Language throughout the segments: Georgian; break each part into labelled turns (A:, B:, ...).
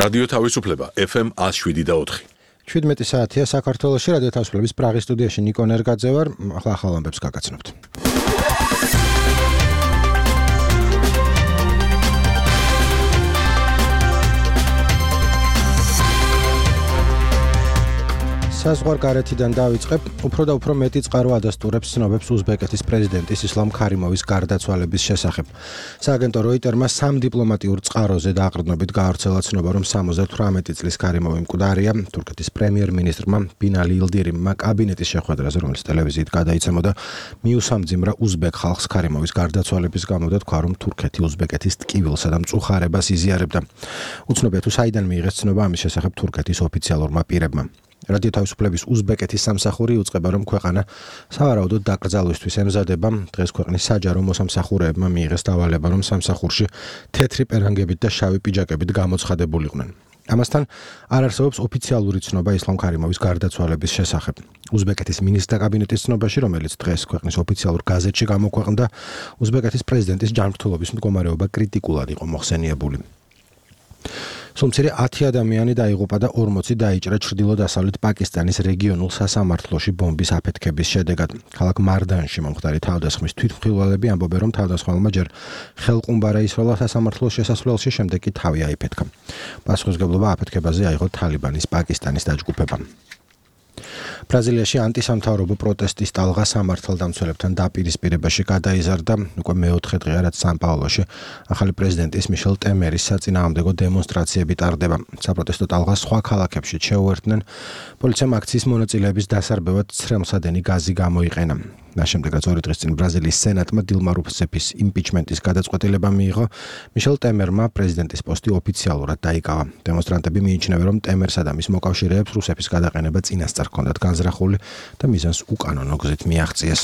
A: რადიო თავისუფლება FM 107.4.
B: 17 საათია საქართველოში რადიო თავისუფლების პრაღის სტუდიაში ნიკო ნერგაძე ვარ. ახლა ამბებს გაგაცნობთ. საზღვარგარეთიდან დავიწყებ. უფრო და უფრო მეტი წყარო ადასტურებს ცნობებს უზბეკეთის პრეზიდენტის ისლამ ქარიმოვის გარდაცვალების შესახებ. სააგენტო როიტერმა სამ დიპლომატიურ წყაროზე დაყრდნობით გაავრცელა ცნობა, რომ 78 წლის ქარიმოვი მკვდარია. თურქეთის პრემიერ-მინისტრმა ბინალი ილდირიმმა კაბინეტის შეხვედრაზე, რომელიც ტელევიზიით გადაიცემოდა, მიუსამძიმრა უზბეკ ხალხს ქარიმოვის გარდაცვალების გამო და თქვა, რომ თურქეთი უზბეკეთის ტკივილსა და მწუხარებას იზიარებდა. უცნობია თუ საიდან მიიღეს ცნობა ამის შესახებ თურქეთის ოფიციალურმა პირებმა. რადიო თავისუფლების უზბეკეთის სამსახური იუწყება, რომ ქვეყანა სავარაუდოდ დაკრძალვისთვის ემზადება. დღეს ქვეყნის საჯარო მოსამსახურეებმა მიიღეს დავალება, რომ სამსახურში თეთრი პერანგებით და შავი პიჯაკებით გამოცხადებულიყვნენ. ამასთან არ არსებობს ოფიციალური ცნობა ისლამ ქარიმოვის გარდაცვალების შესახებ. უზბეკეთის მინისტრთა კაბინეტის ცნობაში, რომელიც დღეს ქვეყნის ოფიციალურ გაზეთში გამოქვეყნდა, უზბეკეთის პრეზიდენტის ჯანმრთელობის მდგომარეობა კრიტიკულად იყო მოხსენიებული. სულ 10 ადამიანი დაიღუპა და 40 დაიჭრა ჩრდილო-დასავლეთ პაკისტანის რეგიონულ სასამართლოში ბომბის აფეთქების შედეგად. ქალაქ მარდანში მომხდარი თავდასხმის თვითმხილველები ამბობენ, რომ თავდასხმელმა ჯერ ხელყუმბარა ისროლა სასამართლოს შესასვლელში, შემდეგ კი თავი აიფეთქა. პასუხისმგებლობა აფეთქებაზე აიღო თალიბანის პაკისტანის დაჯგუფებამ. ბრაზილიაში ანტისამთავრობო პროტესტის ტალღა სამართალდამცველებთან დაპირისპირებაში გადაიზარდა. უკვე მეოთხე დღეა, რაც სან-პაულოში ახალი პრეზიდენტის მიშელ ტემერის საწინააღმდეგო დემონსტრაციები ტარდება. საპროტესტო ტალღას სხვა ქალაქებში შეუერთდნენ. პოლიციამ აქციის მონაწილეების დასარბევად ცრემლსადენი გაზი გამოიყენა. მას შემდეგ, რაც 2 დღის წინ ბრაზილიის სენატმა დილმა რუსეფის იმპიჩმენტის გადაწყვეტილება მიიღო, მიშელ ტემერმა პრეზიდენტის პოსტი ოფიციალურად დაიკავა. დემონსტრანტები მიიჩნევენ, რომ ტემერსა და მის მოკავშირეებს რუსეთის გადაყენება წინასწარ ჰქონდათ განზრახული და მიზანს უკანონო გზით მიაღწიეს.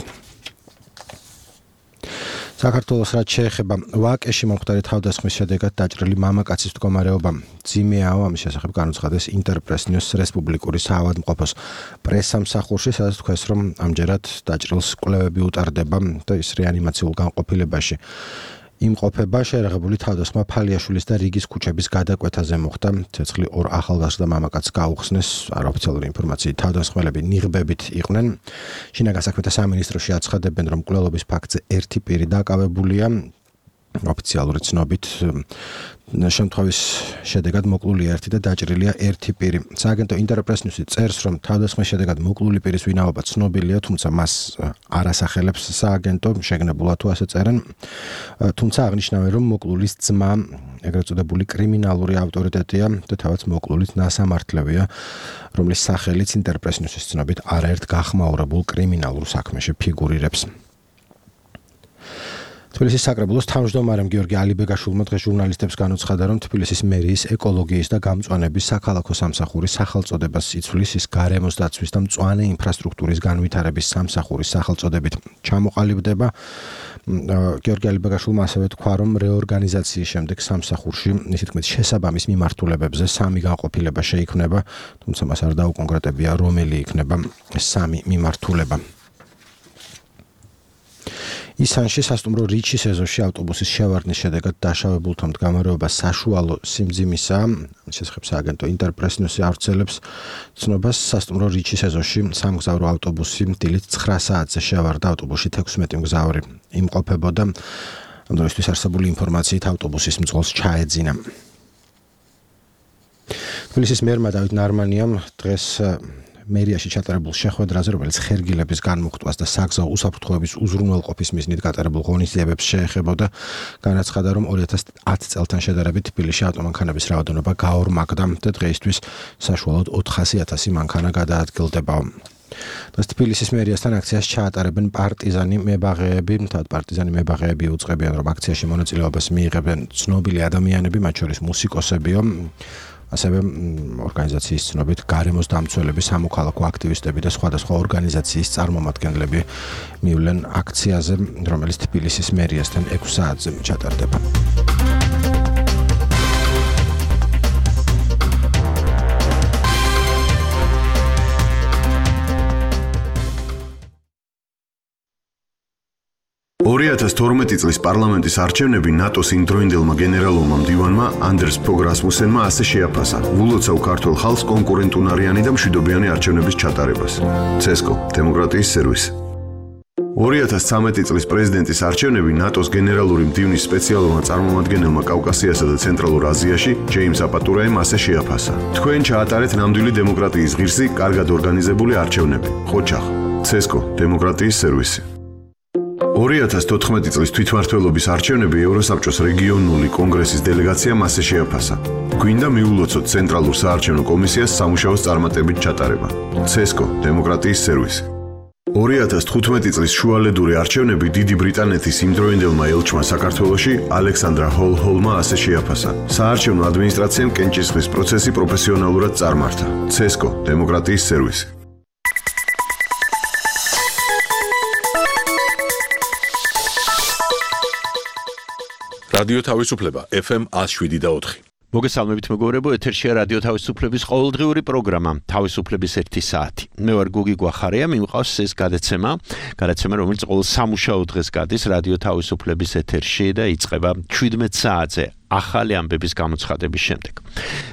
B: საქართველოს რაც შეეხება ვაკეში მომხდარი თავდასხმის შედეგად დაჭრილი მამაკაცის მდგომარეობა ძიმეაო, ამის შესახებ განუცხადეს ინტერპრეს ნიუს რესპუბლიკური საავადმყოფოს პრესსამსახურში, სადაც თქვეს, რომ ამჯერად დაჭრილს კვლევები უტარდება და ის რეანიმაციულ განყოფილებაში იმყოფება. შეერაღებული თავდასხმა ფალიაშვილის და რიგის ქუჩების გადაკვეთაზე მოხდა. ცეცხლი 2 ახალგაზრდა მამაკაცს გაუხსნეს. არაოფიციალური ინფორმაციით თავდასხმელები ნიღბებით იყვნენ. შინაგან საქმეთა სამინისტროში აცხადებენ, რომ მკვლელობის ფაქტზე ერთი პირი დაკავებულია. ოფიციალური ცნობით შემთხვევის შედეგად მოკლულია ერთი და დაჭრილია ერთი პირი. სააგენტო ინტერპრეს ნიუსი წერს, რომ თავდასხმის შედეგად მოკლული პირის ვინაობა ცნობილია, თუმცა მას არ ასახელებს სააგენტო, შეგნებულად თუ ასე წერენ. თუმცა აღნიშნავენ, რომ მოკლულის ძმა ეგრეთ წოდებული კრიმინალური ავტორიტეტია და თავად მოკლულიც ნასამართლევია, რომლის სახელიც ინტერპრეს ნიუსის ცნობით არაერთ გახმაურებულ კრიმინალურ საქმეში ფიგურირებს. თბილისის საკრებულოს თავმჯდომარემ გიორგი ალიბეგაშვილმა დღეს ჟურნალისტებს განუცხადა, რომ თბილისის მერიის ეკოლოგიის და გამწვანების საქალაქო სამსახურის სახელწოდებას იცვლის ის გარემოს დაცვის და მწვანე ინფრასტრუქტურის განვითარების სამსახურის სახელწოდებით ჩამოყალიბდება. გიორგი ალიბეგაშვილმა ასევე თქვა, რომ რეორგანიზაციის შემდეგ სამსახურში, ისე თქმით, შესაბამის მიმართულებებზე 3 განყოფილება შეიქმნება, თუმცა მას არ დაუკონკრეტებია, რომელი იქნება ეს 3 მიმართულება. ისანში სასტუმრო რიჩის ეზოში ავტობუსის შევარდნის შედეგად დაშავებულთა მდგომარეობა საშუალო სიმძიმისაა. შესახებ სააგენტო ინტერპრეს ნიუსი ავრცელებს ცნობას. სასტუმრო რიჩის ეზოში სამგზავრო ავტობუსი დილით 9 საათზე შევარდა. ავტობუსში 16 მგზავრი იმყოფებოდა. ამ დროისთვის არსებული ინფორმაციით ავტობუსის მძღოლს ჩაეძინა. თბილისის მერმა დავით ნარმანიამ დღეს მერიაში ჩატარებულ შეხვედრაზე, რომელიც ხერგილების განმუხტვას და საგზაო უსაფრთხოების უზრუნველყოფის მიზნით გატარებულ ღონისძიებებს შეეხებოდა, განაცხადა, რომ 2010 წელთან შედარებით თბილისში ავტომანქანების რაოდენობა გაორმაგდა და დღეისთვის საშუალოდ 400,000 მანქანა გადაადგილდება. დღეს თბილისის მერიასთან აქციას ჩაატარებენ პარტიზანი მებაღეები. თავად პარტიზანი მებაღეები უწყებიან, რომ აქციაში მონაწილეობას მიიღებენ ცნობილი ადამიანები, მათ შორის მუსიკოსებიო. ასევე ორგანიზაციის ცნობით გარემოს დამცველები, სამოქალაქო აქტივისტები და სხვადასხვა ორგანიზაციის წარმომადგენლები მივლენ აქციაზე, რომელიც თბილისის მერიასთან 6 საათზე ჩატარდება.
C: 2012 წლის პარლამენტის არჩევნები ნატოს იმდროინდელმა გენერალურმა მდივანმა ანდერს ფოგ რასმუსენმა ასე შეაფასა, ვულოცავ ქართულ ხალხს კონკურენტუნარიანი და მშვიდობიანი არჩევნების ჩატარებას. CESCO, დემოკრატიის სერვისი. 2013 წლის პრეზიდენტის არჩევნები ნატოს გენერალური მდივნის სპეციალურმა წარმომადგენელმა კავკასიასა და ცენტრალურ აზიაში, ჯეიმს აპატურაემ ასე შეაფასა. თქვენ ჩაატარეთ ნამდვილი დემოკრატიის ღირსი, კარგად ორგანიზებული არჩევნები. ხოჩახ, CESCO, დემოკრატიის სერვისი. 2014 წლის თვითმმართველობის არჩევნები ევროსაბჭოს რეგიონული კონგრესის დელეგაციამ ასე შეაფასა. გვინდა მიულოცოთ ცენტრალურ საარჩევნო კომისიას სამუშაოს წარმატებით ჩატარება. CESCO, დემოკრატიის სერვისი. 2015 წლის შუალედური არჩევნები დიდი ბრიტანეთის იმდროინდელმა ელჩმა საქართველოში ალექსანდრა ჰოლჰოლმა ასე შეაფასა. საარჩევნო ადმინისტრაციამ კენჭისყრის პროცესი პროფესიონალურად წარმართა. CESCO, დემოკრატიის სერვისი.
A: რადიო თავისუფლება FM 107.4.
D: მოგესალმებით მეგობრებო, ეთერშია რადიო თავისუფლების ყოველდღიური პროგრამა თავისუფლების 1 საათი. მე ვარ გუგი გვახარია, მიმყავს ეს გადაცემა, რომელიც ყოველ სამუშაო დღეს გადის რადიო თავისუფლების ეთერში და იწყება 17 საათზე ახალი ამბების გამოცხადების შემდეგ.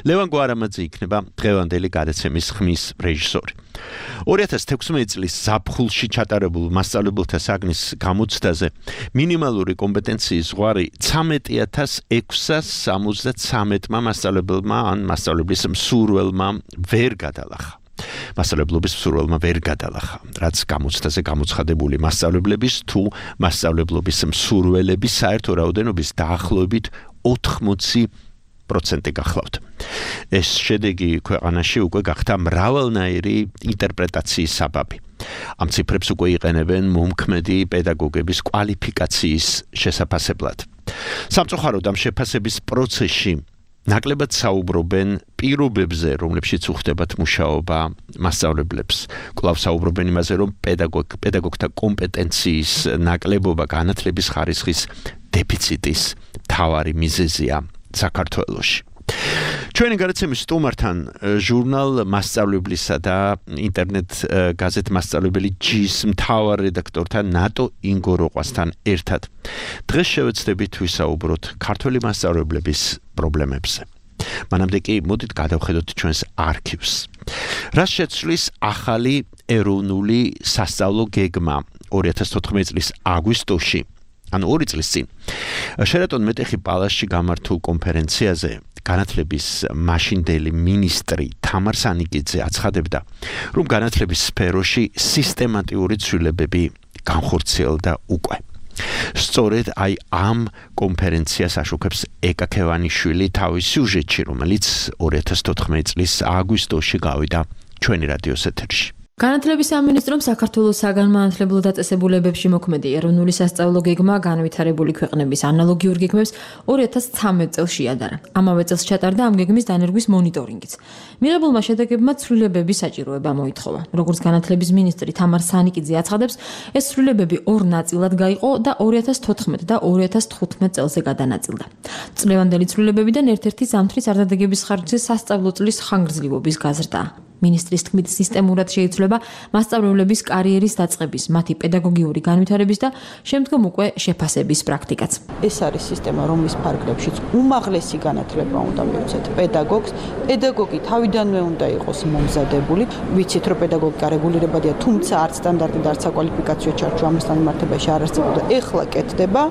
D: ლევან გვარამაძე იქნება დღევანდელი გადაცემის ხმის რეჟისორი. 2016 წლის ზაფხულში ჩატარებულ მასწავლებელთა საგნის გამოცდაზე მინიმალური კომპეტენციის ზღვარი 13,673 მასწავლებელმა ან მასწავლებლის მსურველმა ვერ გადალახა. მასწავლებლობის მსურველმა ვერ გადალახა, რაც გამოცდაზე გამოცხადებული მასწავლებლების თუ მასწავლებლობის მსურველების საერთო რაოდენობის დაახლოებით 80% გახლავთ. ეს შედეგი ქვეყანაში უკვე გახდა მრავალნაირი ინტერპრეტაციის საბაბი. ამ ციფრებს უკვე იყენებენ მომქმედი პედაგოგების კვალიფიკაციის შესაფასებლად. სამწუხაროდ ამ შეფასების პროცესში ნაკლებად საუბრობენ პირობებზე, რომლებშიც უხდებათ მუშაობა მასწავლებლებს. კვლავ საუბრობენ იმაზე, რომ პედაგოგთა კომპეტენციის ნაკლებობა განათლების ხარისხის დეფიციტის მთავარი მიზეზია საქართველოში. ჩვენი გადაცემის სტუმართან ჟურნალ მასწავლებლისა და ინტერნეტ გაზეთ მასწავლებელი ჯის მთავარ რედაქტორთან ნატო ინგოროყვასთან ერთად. დღეს შევეცდებით ვისაუბროთ ქართველი მასწავლებლების პრობლემებზე. მანამდე კი მოდით გადავხედოთ ჩვენს არქივს. რას შეცვლის ახალი ეროვნული სასწავლო გეგმა 2014 წლის აგვისტოში, ანუ 2 წლის წინ, შერატონ მეტეხი პალასში გამართულ კონფერენციაზე განათლების მაშინდელი მინისტრი თამარ სანიკიძე აცხადებდა, რომ განათლების სფეროში სისტემატიური ცვლილებები განხორციელდა უკვე. სწორედ აი ამ კონფერენციას აშუქებს ეკა ქევანიშვილი თავის სიუჟეტში, რომელიც 2014 წლის აგვისტოში გავიდა ჩვენი რადიოს ეთერში.
E: განათლების სამინისტრომ საქართველოს საგანმანათლებლო დაწესებულებებში მოქმედი ეროვნული სასწავლო გეგმა განვითარებული ქვეყნების ანალოგიურ გეგმებს 2013 წელს შეადარა. ამავე წელს ჩატარდა ამ გეგმის დანერგვის მონიტორინგიც. მიღებულმა შედეგებმა ცვლილებების საჭიროება მოითხოვა. როგორც განათლების მინისტრი თამარ სანიკიძე აცხადებს, ეს ცვლილებები 2 ნაწილად გაიყო და 2014 და 2015 წელზე გადანაწილდა. წლევანდელი ცვლილებებიდან ერთ-ერთი ზამთრის არდადეგების ხარჯზე სასწავლო წლის ხანგრძლივობის გაზრდაა. მინისტრის თქმით, სისტემურად შეიცვლება მასწავლებლების კარიერის დაწყების, მათი პედაგოგიური განვითარების და შემდგომ უკვე შეფასების პრაქტიკაც.
F: ეს არის სისტემა, რომლის ფარგლებშიც უმაღლესი განათლება უნდა მივცეთ პედაგოგს. პედაგოგი თავიდანვე უნდა იყოს მომზადებული. ვიცით, რომ პედაგოგი გარეგულირებადია, თუმცა არც სტანდარტი და არც საკვალიფიკაციო ჩარჩო ამასთან მიმართებაში არ არსებობდა. ეხლა კეთდება.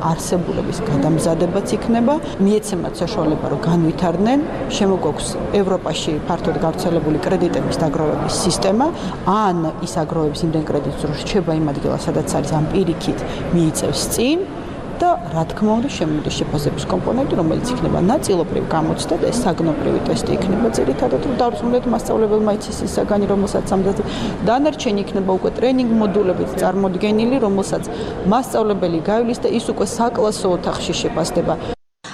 F: არსებულების გადამზადებაც იქნება, მიეცემათ საშუალება, რომ განვითარდნენ, შემოგვაქვს ევროპაში ფართოდ გავრცელებული კრედიტების დაგროვების სისტემა, ან ის აგროვებს იმდენ კრედიტს, რომ რჩება იმ ადგილას, სადაც არის, ამ პირიქით მიიწევს წინ და რა თქმა უნდა შემოდის შეფასების კომპონენტი, რომელიც იქნება ნაწილობრივ გამოცდა და ეს საგნობრივი ტესტი იქნება ძირითადად, რომ დავსრულოთ მასწავლებელმა იცის ის საგანი, რომელსაც ამბობთ. დანარჩენი იქნება უკვე ტრენინგ მოდულებით წარმოდგენილი, რომელსაც მასწავლებელი გავლის და ის უკვე საკლასო ოთახში შეფასდება.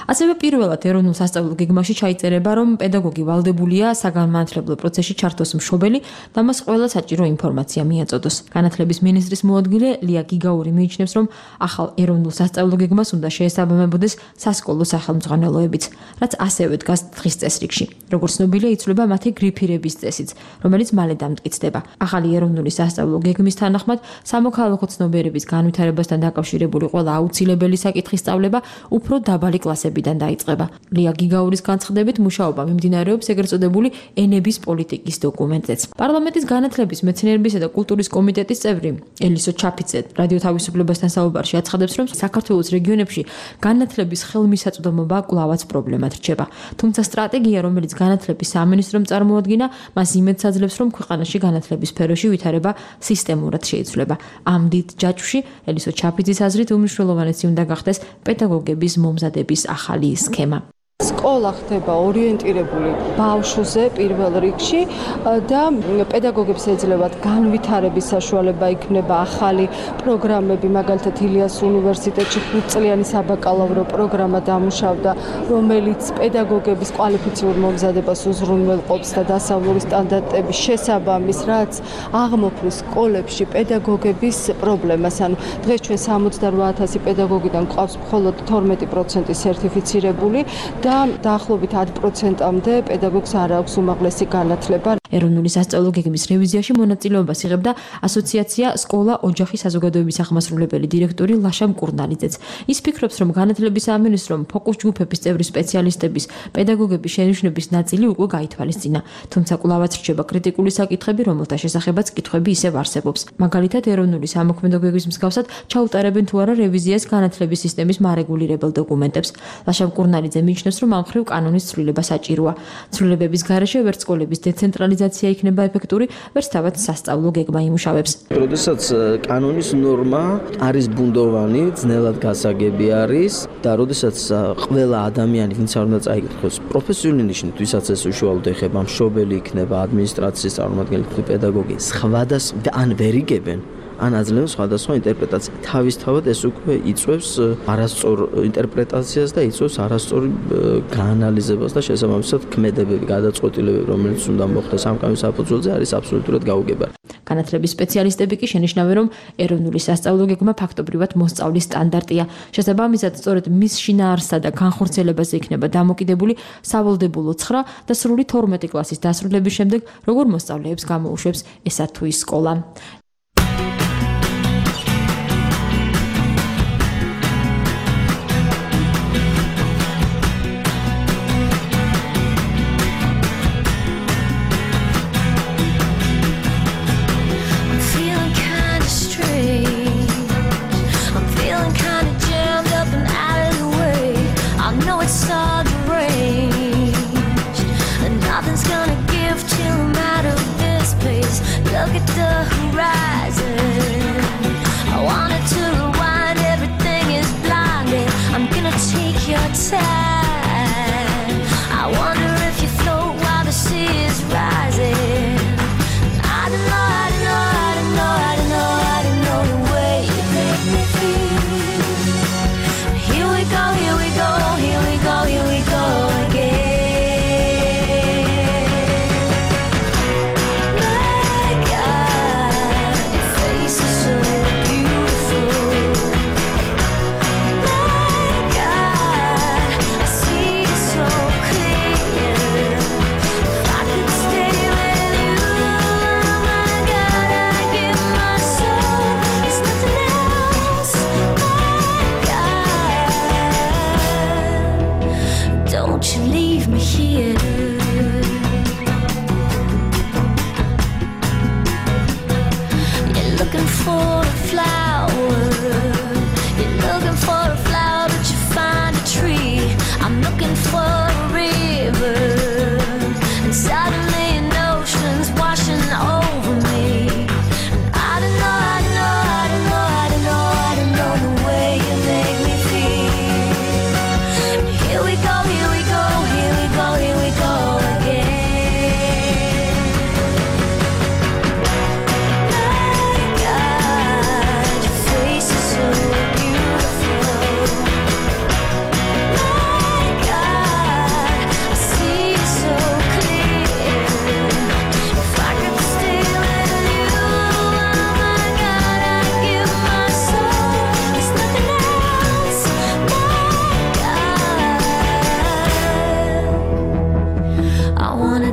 E: ასევე პირველად ეროვნულ სასწავლო გეგმაში ჩაიწერება, რომ პედაგოგი ვალდებულია საგანმანათლებლო პროცესში ჩართოს მშობელი და მას ყველა საჭირო ინფორმაცია მიაწოდოს. განათლების მინისტრის მოადგილე ლია გიგაური მიიჩნევს, რომ ახალ ეროვნულ სასწავლო გეგმას უნდა შეესაბამებოდეს სასკოლო სახელმძღვანელოებიც, რაც ასევე დგას დღის წესრიგში. როგორც ცნობილია, იცვლება მათი გრიფირების წესიც, რომელიც მალე დამტკიცდება. ახალი ეროვნული სასწავლო გეგმის თანახმად სამოქალაქო ცნობიერების განვითარებასთან დაკავშირებული ყველა აუცილებელი საკითხის სწავლება უფრო დაბალი კლასებიდან დაიწყება. ლია გიგაურის განცხადებით, მუშაობა მიმდინარეობს ეგრეთ წოდებული ენების პოლიტიკის დოკუმენტზეც. პარლამენტის განათლების, მეცნიერებისა და კულტურის კომიტეტის წევრი ელისო ჩაფიცე რადიო თავისუფლებასთან საუბარში აცხადებს, რომ საქართველოს რეგიონებში განათლების ხელმისაწვდომობა კვლავაც პრობლემად რჩება. თუმცა სტრატეგია, რომელიც განათლების სამინისტრომ წარმოადგინა, მას იმედს აძლევს, რომ ქვეყანაში განათლების სფეროში ვითარება სისტემურად შეიცვლება. ამ დიდ ჯაჭვში ელისო ჩაფიძის აზრით უმნიშვნელოვანესი უნდა გახდეს პედაგოგების მომზადების ახალი სქემა.
G: სკოლა ხდება ორიენტირებული ბავშვზე პირველ რიგში და პედაგოგებს ეძლევათ განვითარების საშუალება, იქნება ახალი პროგრამები, მაგალითად ილიას უნივერსიტეტში 5 წლიანი საბაკალავრო პროგრამა დამუშავდა, რომელიც პედაგოგების კვალიფიციურ მომზადებას უზრუნველყოფს და დასავლური სტანდარტების შესაბამის, რაც აღმოფხვის სკოლებში პედაგოგების პრობლემას. ანუ დღეს ჩვენ 68,000 პედაგოგიდან გვყავს მხოლოდ 12% სერტიფიცირებული და დაახლოებით 10%-მდე პედაგოგს არ აქვს უმაღლესი განათლება.
E: ეროვნული სასწავლო გეგმის რევიზიაში მონაწილეობას იღებდა ასოციაცია სკოლა ოჯახი საზოგადოების აღმასრულებელი დირექტორი ლაშა მკურნალიძეც. ის ფიქრობს, რომ განათლების სამინისტრომ ფოკუს ჯგუფების წევრი სპეციალისტების, პედაგოგების შენიშვნების ნაწილი უკვე გაითვალისწინა. თუმცა კვლავაც რჩება კრიტიკული საკითხები, რომელთა შესახებაც კითხვები ისევ არსებობს. მაგალითად, ეროვნული სამოქმედო გეგმის მსგავსად ჩაუტარებენ თუ არა რევიზიას განათლების სისტემის მარეგულირებელ დოკუმენტებს. ლაშა მკურნალიძე მიიჩნევს, რომ ამ მხრივ კანონის ცვლილება საჭიროა. ცვლილებების გარეშე ვერც სკოლების დეცენტრალიზაცია იქნება ეფექტური, ვერც თავად სასწავლო გეგმა იმუშავებს.
H: როდესაც კანონის ნორმა არის ბუნდოვანი, ძნელად გასაგები არის და როდესაც ყველა ადამიანი, ვინც არ უნდა წაიკითხოს პროფესიული ნიშნით, ვისაც ეს უშუალოდ ეხება, მშობელი იქნება, ადმინისტრაციის წარმომადგენელი, პედაგოგი, სხვადასხვა ან ვერ იგებენ, ან აძლევენ სხვადასხვა ინტერპრეტაცია. თავისთავად ეს უკვე იწვევს არასწორ ინტერპრეტაციას და იწვევს არასწორ გაანალიზებას და შესაბამისად ქმედებები, გადაწყვეტილებები, რომელიც უნდა მოხდეს ამ კანონის საფუძველზე, არის აბსოლუტურად გაუგებარი.
E: განათლების სპეციალისტები კი შენიშნავენ, რომ ეროვნული სასწავლო გეგმა ფაქტობრივად მოსწავლის სტანდარტია. შესაბამისად, სწორედ მის შინაარსსა და განხორციელებაზე იქნება დამოკიდებული სავალდებულო 9 და სრული 12 კლასის დასრულების შემდეგ, როგორ მოსწავლეებს გამოუშვებს ესა თუ ის სკოლა.
I: Look at the horizon.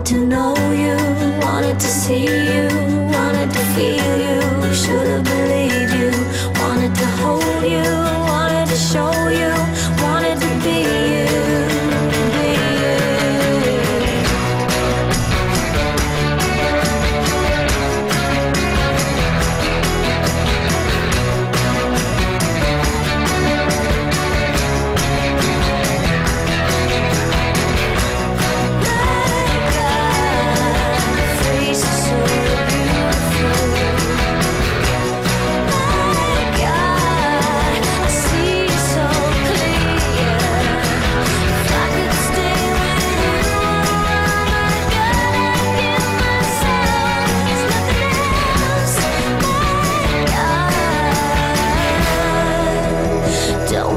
I: Wanted to know you, wanted to see you, wanted to feel you, should have believed you, wanted to hold you, wanted to show you, wanted to be you.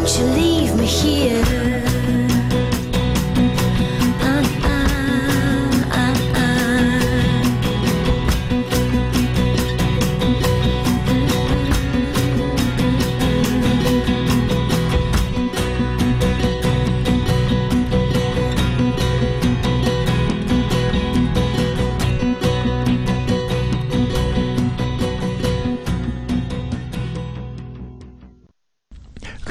I: Don't you leave me here.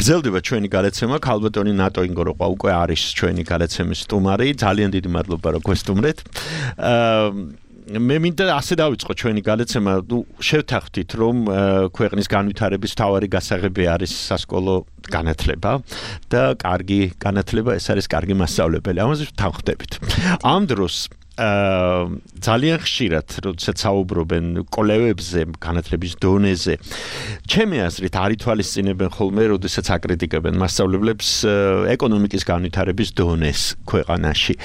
D: გრძელდება ჩვენი გადაცემა ქალბატონი ნატო ინგოროყვა უკვე არის ჩვენი გადაცემის სტუმარი ძალიან დიდი მადლობა რომ გვესტუმრეთ მე მინდა ასე დავიწყო ჩვენი გადაცემა შევთანხმდით რომ ქვეყნის განვითარების მთავარი გასაღები არის სასკოლო განათლება და კარგი განათლება ეს არის კარგი მასწავლებელი ამაზე ვთანხმდებით ამ დროს ძალიან ხშირად როდესაც საუბრობენ კოლევებზე განათლების დონეზე ჩემი აზრით არ ითვალისწინებენ ხოლმე როდესაც აკრიტიკებენ მასწავლებლებს ეკონომიკის განვითარების დონეს ქვეყანაში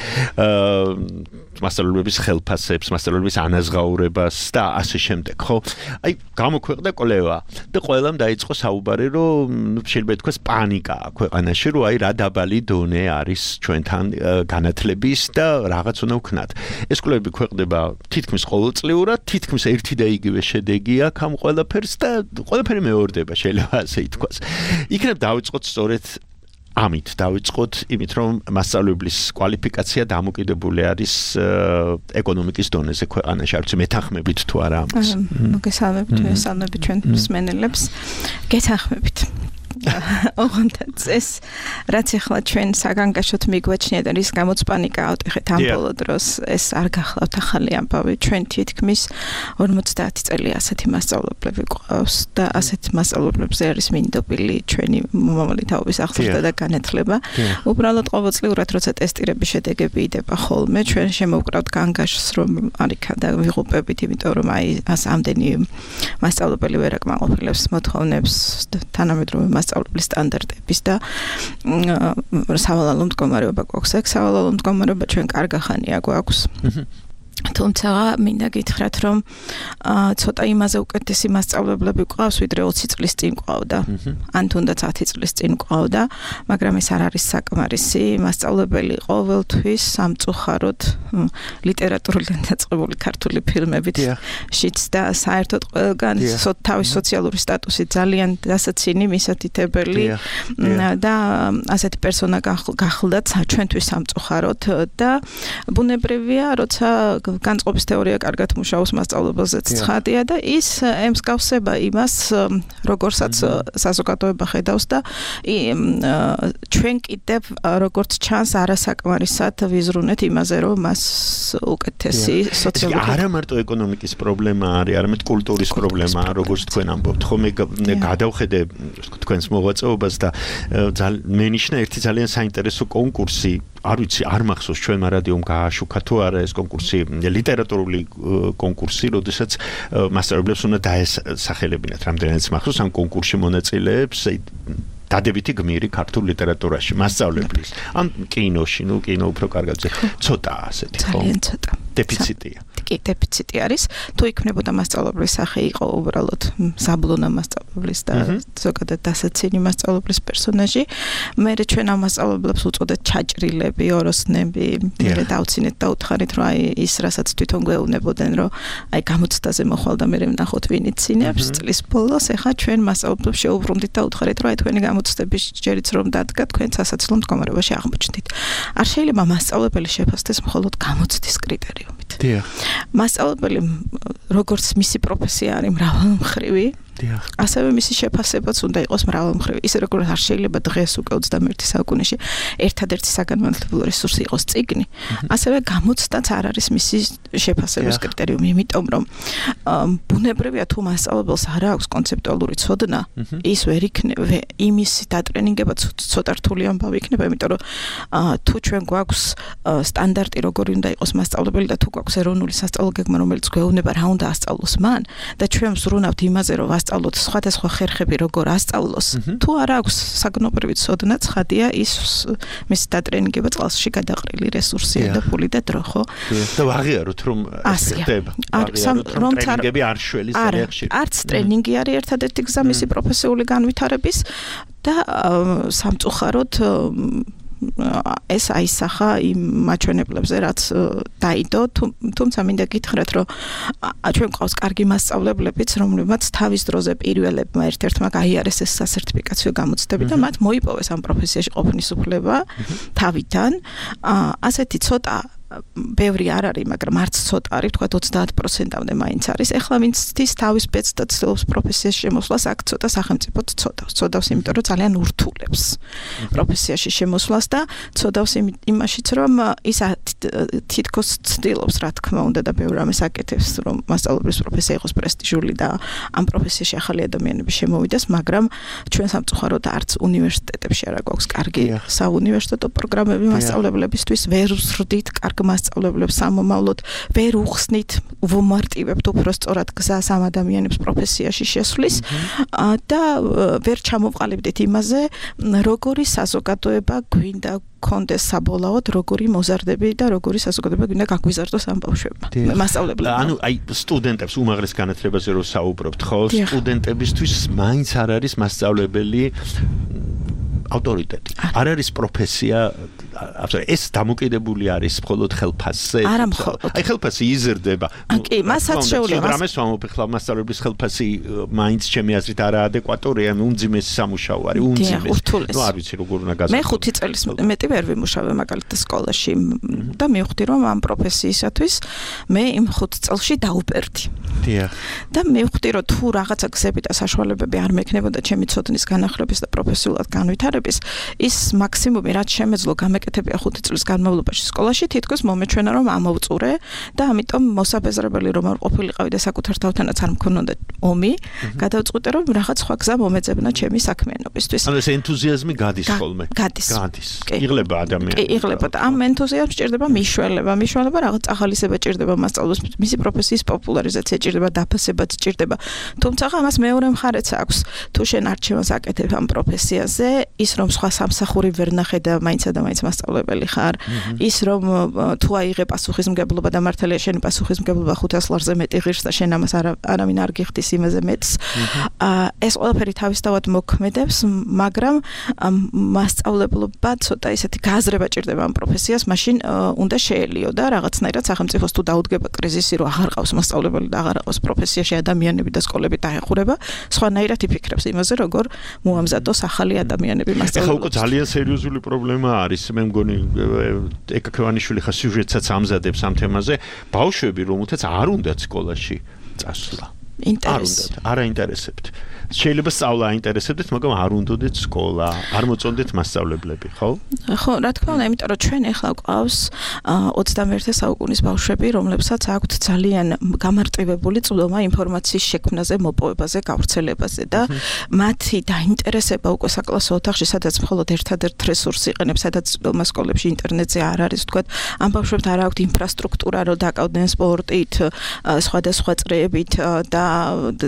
D: მასწავლებლების ხელფასებს, მასწავლებლების ანაზღაურებას და ასე შემდეგ, ხო? აი, გამოქვეყნდა კოლევა და ყველამ დაიწყო საუბარი, რომ შეიძლება ითქვას პანიკა ქვეყანაში, რომ აი რა დაბალი დონე არის ჩვენთან განათლების და რაღაც უნდა ვქნათ. ეს კვლევები ქვეყნდება თითქმის ყოველწლიურად, თითქმის ერთი და იგივე შედეგი აქვს ამ ყველაფერს და ყველაფერი მეორდება, შეიძლება ასე ითქვას. იქნებ დავიწყოთ სწორედ ამით დავიწყოთ იმით რომ მასწავლებლის კვალიფიკაცია დამოკიდებული არის ეკონომიკის დონეზე ქვეყანაში არ ვიცი მეთანხმებით თუ არა ამას
J: მოგესალმებით ჩვენ მსმენელებს გეთანხმებით ოღონდ ეს რაც ახლა ჩვენ საგანგაშოდ მიგვაჩნია და რის გამოც პანიკა ავტეხეთ ამ ბოლო დროს ეს არ გახლავთ ახალი ამბავი ჩვენ თითქმის 50 წელი ასეთი მასწავლებლები გვყავს და ასეთ მასწავლებლებზე არის მინდობილი ჩვენი მომავალი თაობის აღზრდა და განათლება უბრალოდ ყოველწლიურად როცა ტესტირების შედეგები იდება ხოლმე ჩვენ შემოვკრავთ განგაშს რომ არიქა და ვიღუპებით იმიტომ რომ აი ამდენი მასწავლებელი ვერ აკმაყოფილებს მოთხოვნებს თანამედროვე მასწავლებლის სტანდარტების და სავალალო მდგომარეობა გვაქვს. აქ სავალალო მდგომარეობა ჩვენ კარგახანია გვაქვს. თუმცა მინდა გითხრათ რომ ცოტა იმაზე უკეთესი მასწავლებლები გვყავს ვიდრე 20 წლის წინ გვყავდა ან თუნდაც 10 წლის წინ გვყავდა მაგრამ ეს არ არის საკმარისი მასწავლებელი ყოველთვის სამწუხაროდ ლიტერატურულად დაწყებული ქართული ფილმებით შიც და საერთოდ ყველგან თავის სოციალური სტატუსი ძალიან დასაცინი მისათითებელი და ასეთი პერსონა გახლდათ ჩვენთვის სამწუხაროდ და ბუნებრივია როცა განწყობის თეორია კარგად მუშაობს მასწავლებელზეც ცხადია და ის ემსგავსება იმას როგორცაც საზოგადოება ხედავს და ჩვენ კიდევ როგორც ჩანს არასაკმარისად ვიზრუნეთ იმაზე რომ მას უკეთესი სოციალური
D: არა მარტო ეკონომიკის პრობლემა არის არამედ კულტურის პრობლემაა როგორც თქვენ ამბობთ ხო მე გადავხედე თქვენს მოღვაწეობას და მე ნიშნა ერთი ძალიან საინტერესო კონკურსი არ ვიცი არ მახსოვს ჩვენმა რადიომ გააშუქა თუ არა ეს კონკურსი ლიტერატურული კონკურსი როდესაც მასწავლებლებს უნდა დაესახელებინათ რამდენიც მახსოვს ამ კონკურსში მონაწილეებს დადებითი გმირი ქართულ ლიტერატურაში მასწავლებლის ან კინოში ნუ კინო უფრო კარგად ცოტა ასეთი ხო
J: ძალიან ცოტა
D: დეფიციტია
J: კი დეფიციტი არის. თუ იქნებოდა მასწავლებლის სახე იყო უბრალოდ საბლონა მასწავლებლის და ზოგადად დასაცინი მასწავლებლის პერსონაჟი, მე ჩვენ ამ მასწავლებლებს უწოდეთ ჩაჭრილები, ოროსნები, მე დავცინეთ და უთხარით რომ აი ის რასაც თვითონ გვეუბნებოდნენ რომ აი გამოცდაზე მოხვალ და მე ვნახოთ ვინ იცინებს წლის ბოლოს, ეხლა ჩვენ მასწავლებლებს შეუბრუნდით და უთხარით რომ აი თქვენი გამოცდების ჯერიც რომ დადგა თქვენ სასაცილო მდგომარეობაში აღმოჩნდით. არ შეიძლება მასწავლებელი შეფასდეს მხოლოდ გამოცდის კრიტერიუმით. მასწავლებელი როგორც მისი პროფესია არის მრავალმხრივი, ასევე მისი შეფასებაც უნდა იყოს მრავალმხრივი. ისე როგორც არ შეიძლება დღეს უკვე 21 საუკუნეში ერთადერთი საგანმანათლებლო რესურსი იყოს წიგნი, ასევე გამოცდაც არ არის მისი შეფასების კრიტერიუმი, იმიტომ რომ ბუნებრივია თუ მასწავლებელს არ აქვს კონცეპტუალური ცოდნა, ის ვერ იქნება იმის დატრენინგება ცოტა რთული ამბავი იქნება, იმიტომ რომ თუ ჩვენ გვაქვს სტანდარტი როგორი უნდა იყოს მასწავლებელი და თუ გვაქვს ეროვნული სასწავლო გეგმა, რომელიც გვეუბნება რა უნდა ასწავლოს მან და ჩვენ ვზრუნავთ იმაზე რომ ასწავლოთ სხვადასხვა ხერხები როგორ ასწავლოს, თუ არ აქვს საგნობრივი ცოდნა, ცხადია ის მისი დატრენინგება წყალში გადაყრილი რესურსია და ფული და დრო, ხო?
D: და ვაღიაროთ რომ ხდება. რომ ტრენინგები არ შველის ხერხში.
J: არც ტრენინგი არის ერთადერთი გზა მისი პროფესიული განვითარების და სამწუხაროდ ეს აისახა იმ მაჩვენებლებზე, რაც დაიდო, თუმცა მინდა გითხრათ, რომ ჩვენ გვყავს კარგი მასწავლებლებიც, რომლებმაც თავის დროზე პირველებმა ერთ-ერთმა გაიარეს ეს სასერტიფიკაციო გამოცდები და მათ მოიპოვეს ამ პროფესიაში ყოფნის უფლება თავიდან. ასეთი ცოტა ბევრი არ არის, მაგრამ არც ცოტა არის, თქვა 30%-მდე მაინც არის. ეხლა ვინც ცდის თავის ბედს და ცდილობს პროფესიაში შემოსვლას, აქ ცოტა სახელმწიფო ცოდავს, იმიტომ რომ ძალიან ურთულებს პროფესიაში შემოსვლას და ცოდავს იმაშიც, რომ ის თითქოს ცდილობს, რა თქმა უნდა და ბევრი რამეს აკეთებს, რომ მასწავლებლის პროფესია იყოს პრესტიჟული და ამ პროფესიაში ახალი ადამიანები შემოვიდეს, მაგრამ ჩვენ სამწუხაროდ არც უნივერსიტეტებში არ გვაქვს კარგი საუნივერსიტეტო პროგრამები მასწავლებლებისთვის, ვერ ვსრდით კარგ მასწავლებლებს სამომავლოდ, ვერ უხსნით, ვუმარტივებთ უფრო სწორად გზას ამ ადამიანებს პროფესიაში შესვლის და ვერ ჩამოვყალიბდით იმაზე, როგორი საზოგადოება გვინდა კონდეს საბოლოოდ, როგორი მოზარდები და როგორი საზოგადოება გვინდა გაგვიზარდოს ამ ბავშვებმა. მასწავლებლებმა.
D: ანუ აი სტუდენტებს უმაღლეს განათლებაზე რო საუბრობთ, ხო, სტუდენტებისთვის მაინც არ არის მასწავლებელი ავტორიტეტი. არ არის პროფესია, ეს დამოკიდებული არის მხოლოდ ხელფასზე.
J: არა მხოლოდ.
D: აი ხელფასი იზრდება.
J: კი, მასაც შეუძლია.
D: რამეს ვამბობ ხლა მასწავლებლის ხელფასი მაინც ჩემი აზრით არაადეკვატორია, უმძიმესი სამუშაო არის, უმძიმესი. ნუ არ ვიცი როგორ უნდა გაზრდო.
J: მე 5 წელს მეტი ვერ ვიმუშავე მაგალითად სკოლაში და მივხვდი რომ ამ პროფესიისათვის მე იმ 5 წელში დაუპერდი.
D: დიახ.
J: და მივხვდი რომ თუ რაღაცა გზები და საშუალებები არ მექნებოდა ჩემი ცოდნის განახლების და პროფესიულად განვითარების, ის მაქსიმუმი რაც შემეძლო გამეკეთებია 5 წლის განმავლობაში სკოლაში, თითქოს მომეჩვენა რომ ამოვწურე და ამიტომ მოსაბეზრებელი რომ არ ყოფილიყავი და საკუთარ თავთანაც არ მქონოდა ომი, გადავწყვიტე რომ რაღაც სხვა გზა მომეძებნა ჩემი საქმიანობისთვის.
D: ანუ ეს ენთუზიაზმი გადის ხოლმე.
J: გადის.
D: იღლება ადამიანი.
J: კი, იღლება და ამ ენთუზიაზმს ჭირდება მიშველება, რაღაც ახალისება ჭირდება მასწავლებელს, მისი პროფესიის პოპულარიზაცია ჭირდება, დაფასებაც ჭირდება. თუმცა ამას მეორე მხარეც აქვს. თუ შენ არჩევანს აკეთებ ამ პროფესიაზე, ის რომ სხვა სამსახური ვერ ნახე და მაინცა და მაინც მასწავლებელი ხარ, ის რომ თუ აიღე პასუხისმგებლობა და მართალია შენი პასუხისმგებლობა 500 ლარზე მეტი ღირს და შენ ამას არავინ არ გიხდის იმაზე მეტს. ეს ყველაფერი თავისთავად მოქმედებს, მაგრამ მასწავლებლობა ცოტა ისეთი გააზრება ჭირდება ამ პროფესიას, მაშინ უნდა შეელიო და რაღაცნაირად სახელმწიფოს თუ დაუდგება კრიზისი, რომ აღარ ყავს მასწავლებელი და აღარ ყავს პროფესიაში ადამიანები და სკოლები დაეხურება, სხვანაირად იფიქრებს იმაზე, როგორ მოამზადოს ახალი ადამიანები მასწავლებლებს.
D: ეხლა უკვე ძალიან სერიოზული პრობლემა არის, მე მგონი ეკა ქევანიშვილი ხა სიუჟეტსაც ამზადებს ამ თემაზე, ბავშვები რომელთაც არ უნდათ სკოლაში წასვლა. არ აინტერესებთ. შეიძლება სწავლა აინტერესებდეთ, მაგრამ არ უნდათ სკოლა, არ მოწონდეთ მასწავლებლები, ხო?
J: ხო, რა თქმა უნდა, იმიტომ რომ ჩვენ ახლა გვყავს 21 საუკუნის ბავშვები, რომლებსაც აქვთ ძალიან გამარტივებული წვდომა ინფორმაციის შექმნაზე, მოპოვებაზე, გავრცელებაზე და მათი დაინტერესება უკვე საკლასო ოთახში, სადაც მხოლოდ ერთადერთ რესურსს იყენებს, სადაც წვდომა სკოლებში ინტერნეტზე არ არის, თქვათ, ამ ბავშვებთ არ აქვთ ინფრასტრუქტურა, რომ დაკავდნენ სპორტით, სხვადასხვა წრეებით და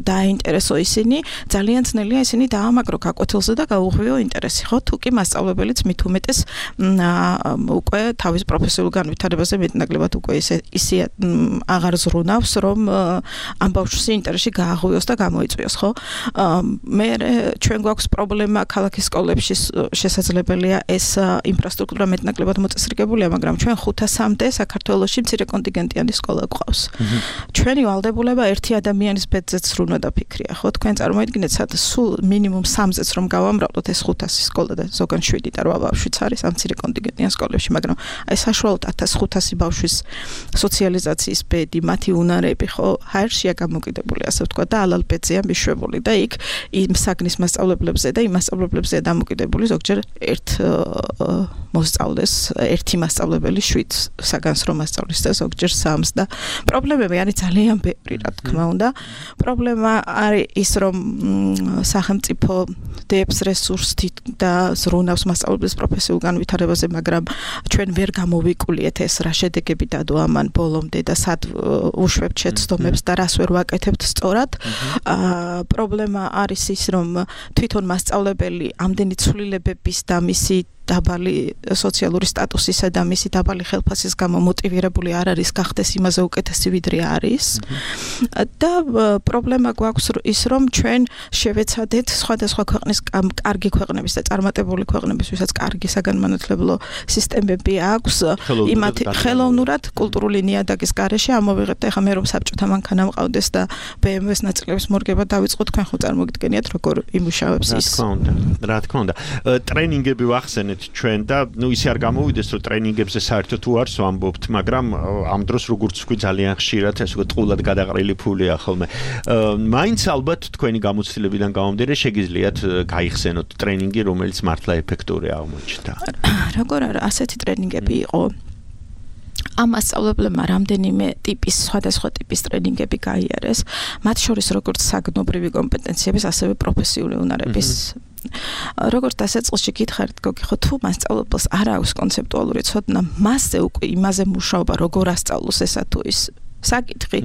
J: დაინტერესო ისინი, ძალიან ძნელია ისინი დაამაგრო გაკვეთილზე და გაუღვიო ინტერესი, ხო? თუ კი მასწავლებელიც მით უმეტეს უკვე თავის პროფესიულ განვითარებაზე მეტნაკლებად უკვე ისე აღარ ზრუნავს, რომ ამ ბავშვს ინტერესი გააღვიოს და გამოიწვიოს, ხო? მე ჩვენ გვაქვს პრობლემა ქალაქის სკოლებში შესაძლებელია ეს ინფრასტრუქტურა მეტნაკლებად მოწესრიგებულია, მაგრამ ჩვენ 500-მდე საქართველოში მცირე კონტინგენტიანი სკოლა გვყავს. ჩვენი ვალდებულება ერთი ადამიანის ბედზეც სრულნა დაფიქრია, ხო? თქვენ წარმოიდგინეთ, სადაც სულ მინიმუმ 3-ზეც რომ გავამრავლოთ ეს 500 სკოლა და ზოგან 7 და 8 ბავშვიც არის ამ მცირე კონტინგენტიან სკოლებში, მაგრამ აი საშუალოდ 1500 ბავშვის სოციალიზაციის ბედი, მათი უნარები, ხო? ჰაერშია გამოკიდებული, ასე ვთქვა და ალალბედზეა მიშვებული და იქ იმ საგნის მასწავლებლებზე და იმ მასწავლებლებზეა დამოკიდებული ზოგჯერ მოსწავლეს ერთი მასწავლებელი 7 საგანს რომ მასწავლის და ზოგჯერ 3-ს და პრობლემები არის ძალიან ბევრი, რა თქმა უნდა. პრობლემა არის ის, რომ სახელმწიფო დებს რესურსით და ზრუნავს მასწავლებლის პროფესიულ განვითარებაზე, მაგრამ ჩვენ ვერ გამოვიკულიეთ ეს რა შედეგები დადო ამან ბოლომდე და სად უშვებთ შეცდომებს და რას ვერ ვაკეთებთ სწორად. პრობლემა არის ის, რომ თვითონ მასწავლებელი ამდენი ცვლილებების და მისი დაბალი სოციალური სტატუსისა და მისი დაბალი ხელფასის გამო მოტივირებული არ არის გახდეს იმაზე უკეთესი ვიდრე არის. და პრობლემა გვაქვს ის, რომ ჩვენ შევეცადეთ სხვადასხვა ქვეყნის კარგი ქვეყნების და წარმატებული ქვეყნების, ვისაც კარგი საგანმანათლებლო სისტემები აქვს, იმათი ხელოვნურად კულტურული ნიადაგის გარეშე ამოვიღებთ. ეხლა მე რომ საბჭოთა მანქანა მყავდეს და BMW-ს ნაწილების მორგება დავიწყოთ, თქვენ ხო წარმოგიდგენიათ როგორ იმუშავებს ის.
D: რა თქმა უნდა. ტრენინგები ვახსენეთ ჩვენ და ისე არ გამოვიდეს რომ ტრენინგებზე საერთოდ თუ არს ვამბობთ, მაგრამ ამ დროს როგორც ვთქვი ძალიან ხშირად ეს უკვე ტყულად გადაყრილი ფულია ხოლმე. მაინც ალბათ თქვენი გამოცდილებიდან გამომდინარე შეგიძლიათ გაიხსენოთ ტრენინგი, რომელიც მართლა ეფექტური აღმოჩნდა.
J: როგორ არა, ასეთი ტრენინგები იყო. ამ მასწავლებლებმა რამდენიმე ტიპის, სხვადასხვა ტიპის ტრენინგები გაიარეს, მათ შორის როგორც საგნობრივი კომპეტენციების, ასევე პროფესიული უნარების. როგორც დასაწყისში გითხარით, გოგი, ხო თუ მასწავლებელს არ აქვს კონცეპტუალური ცოდნა, მასზე უკვე იმაზე მუშაობა როგორ ასწავლოს ესა თუ ის საკითხი,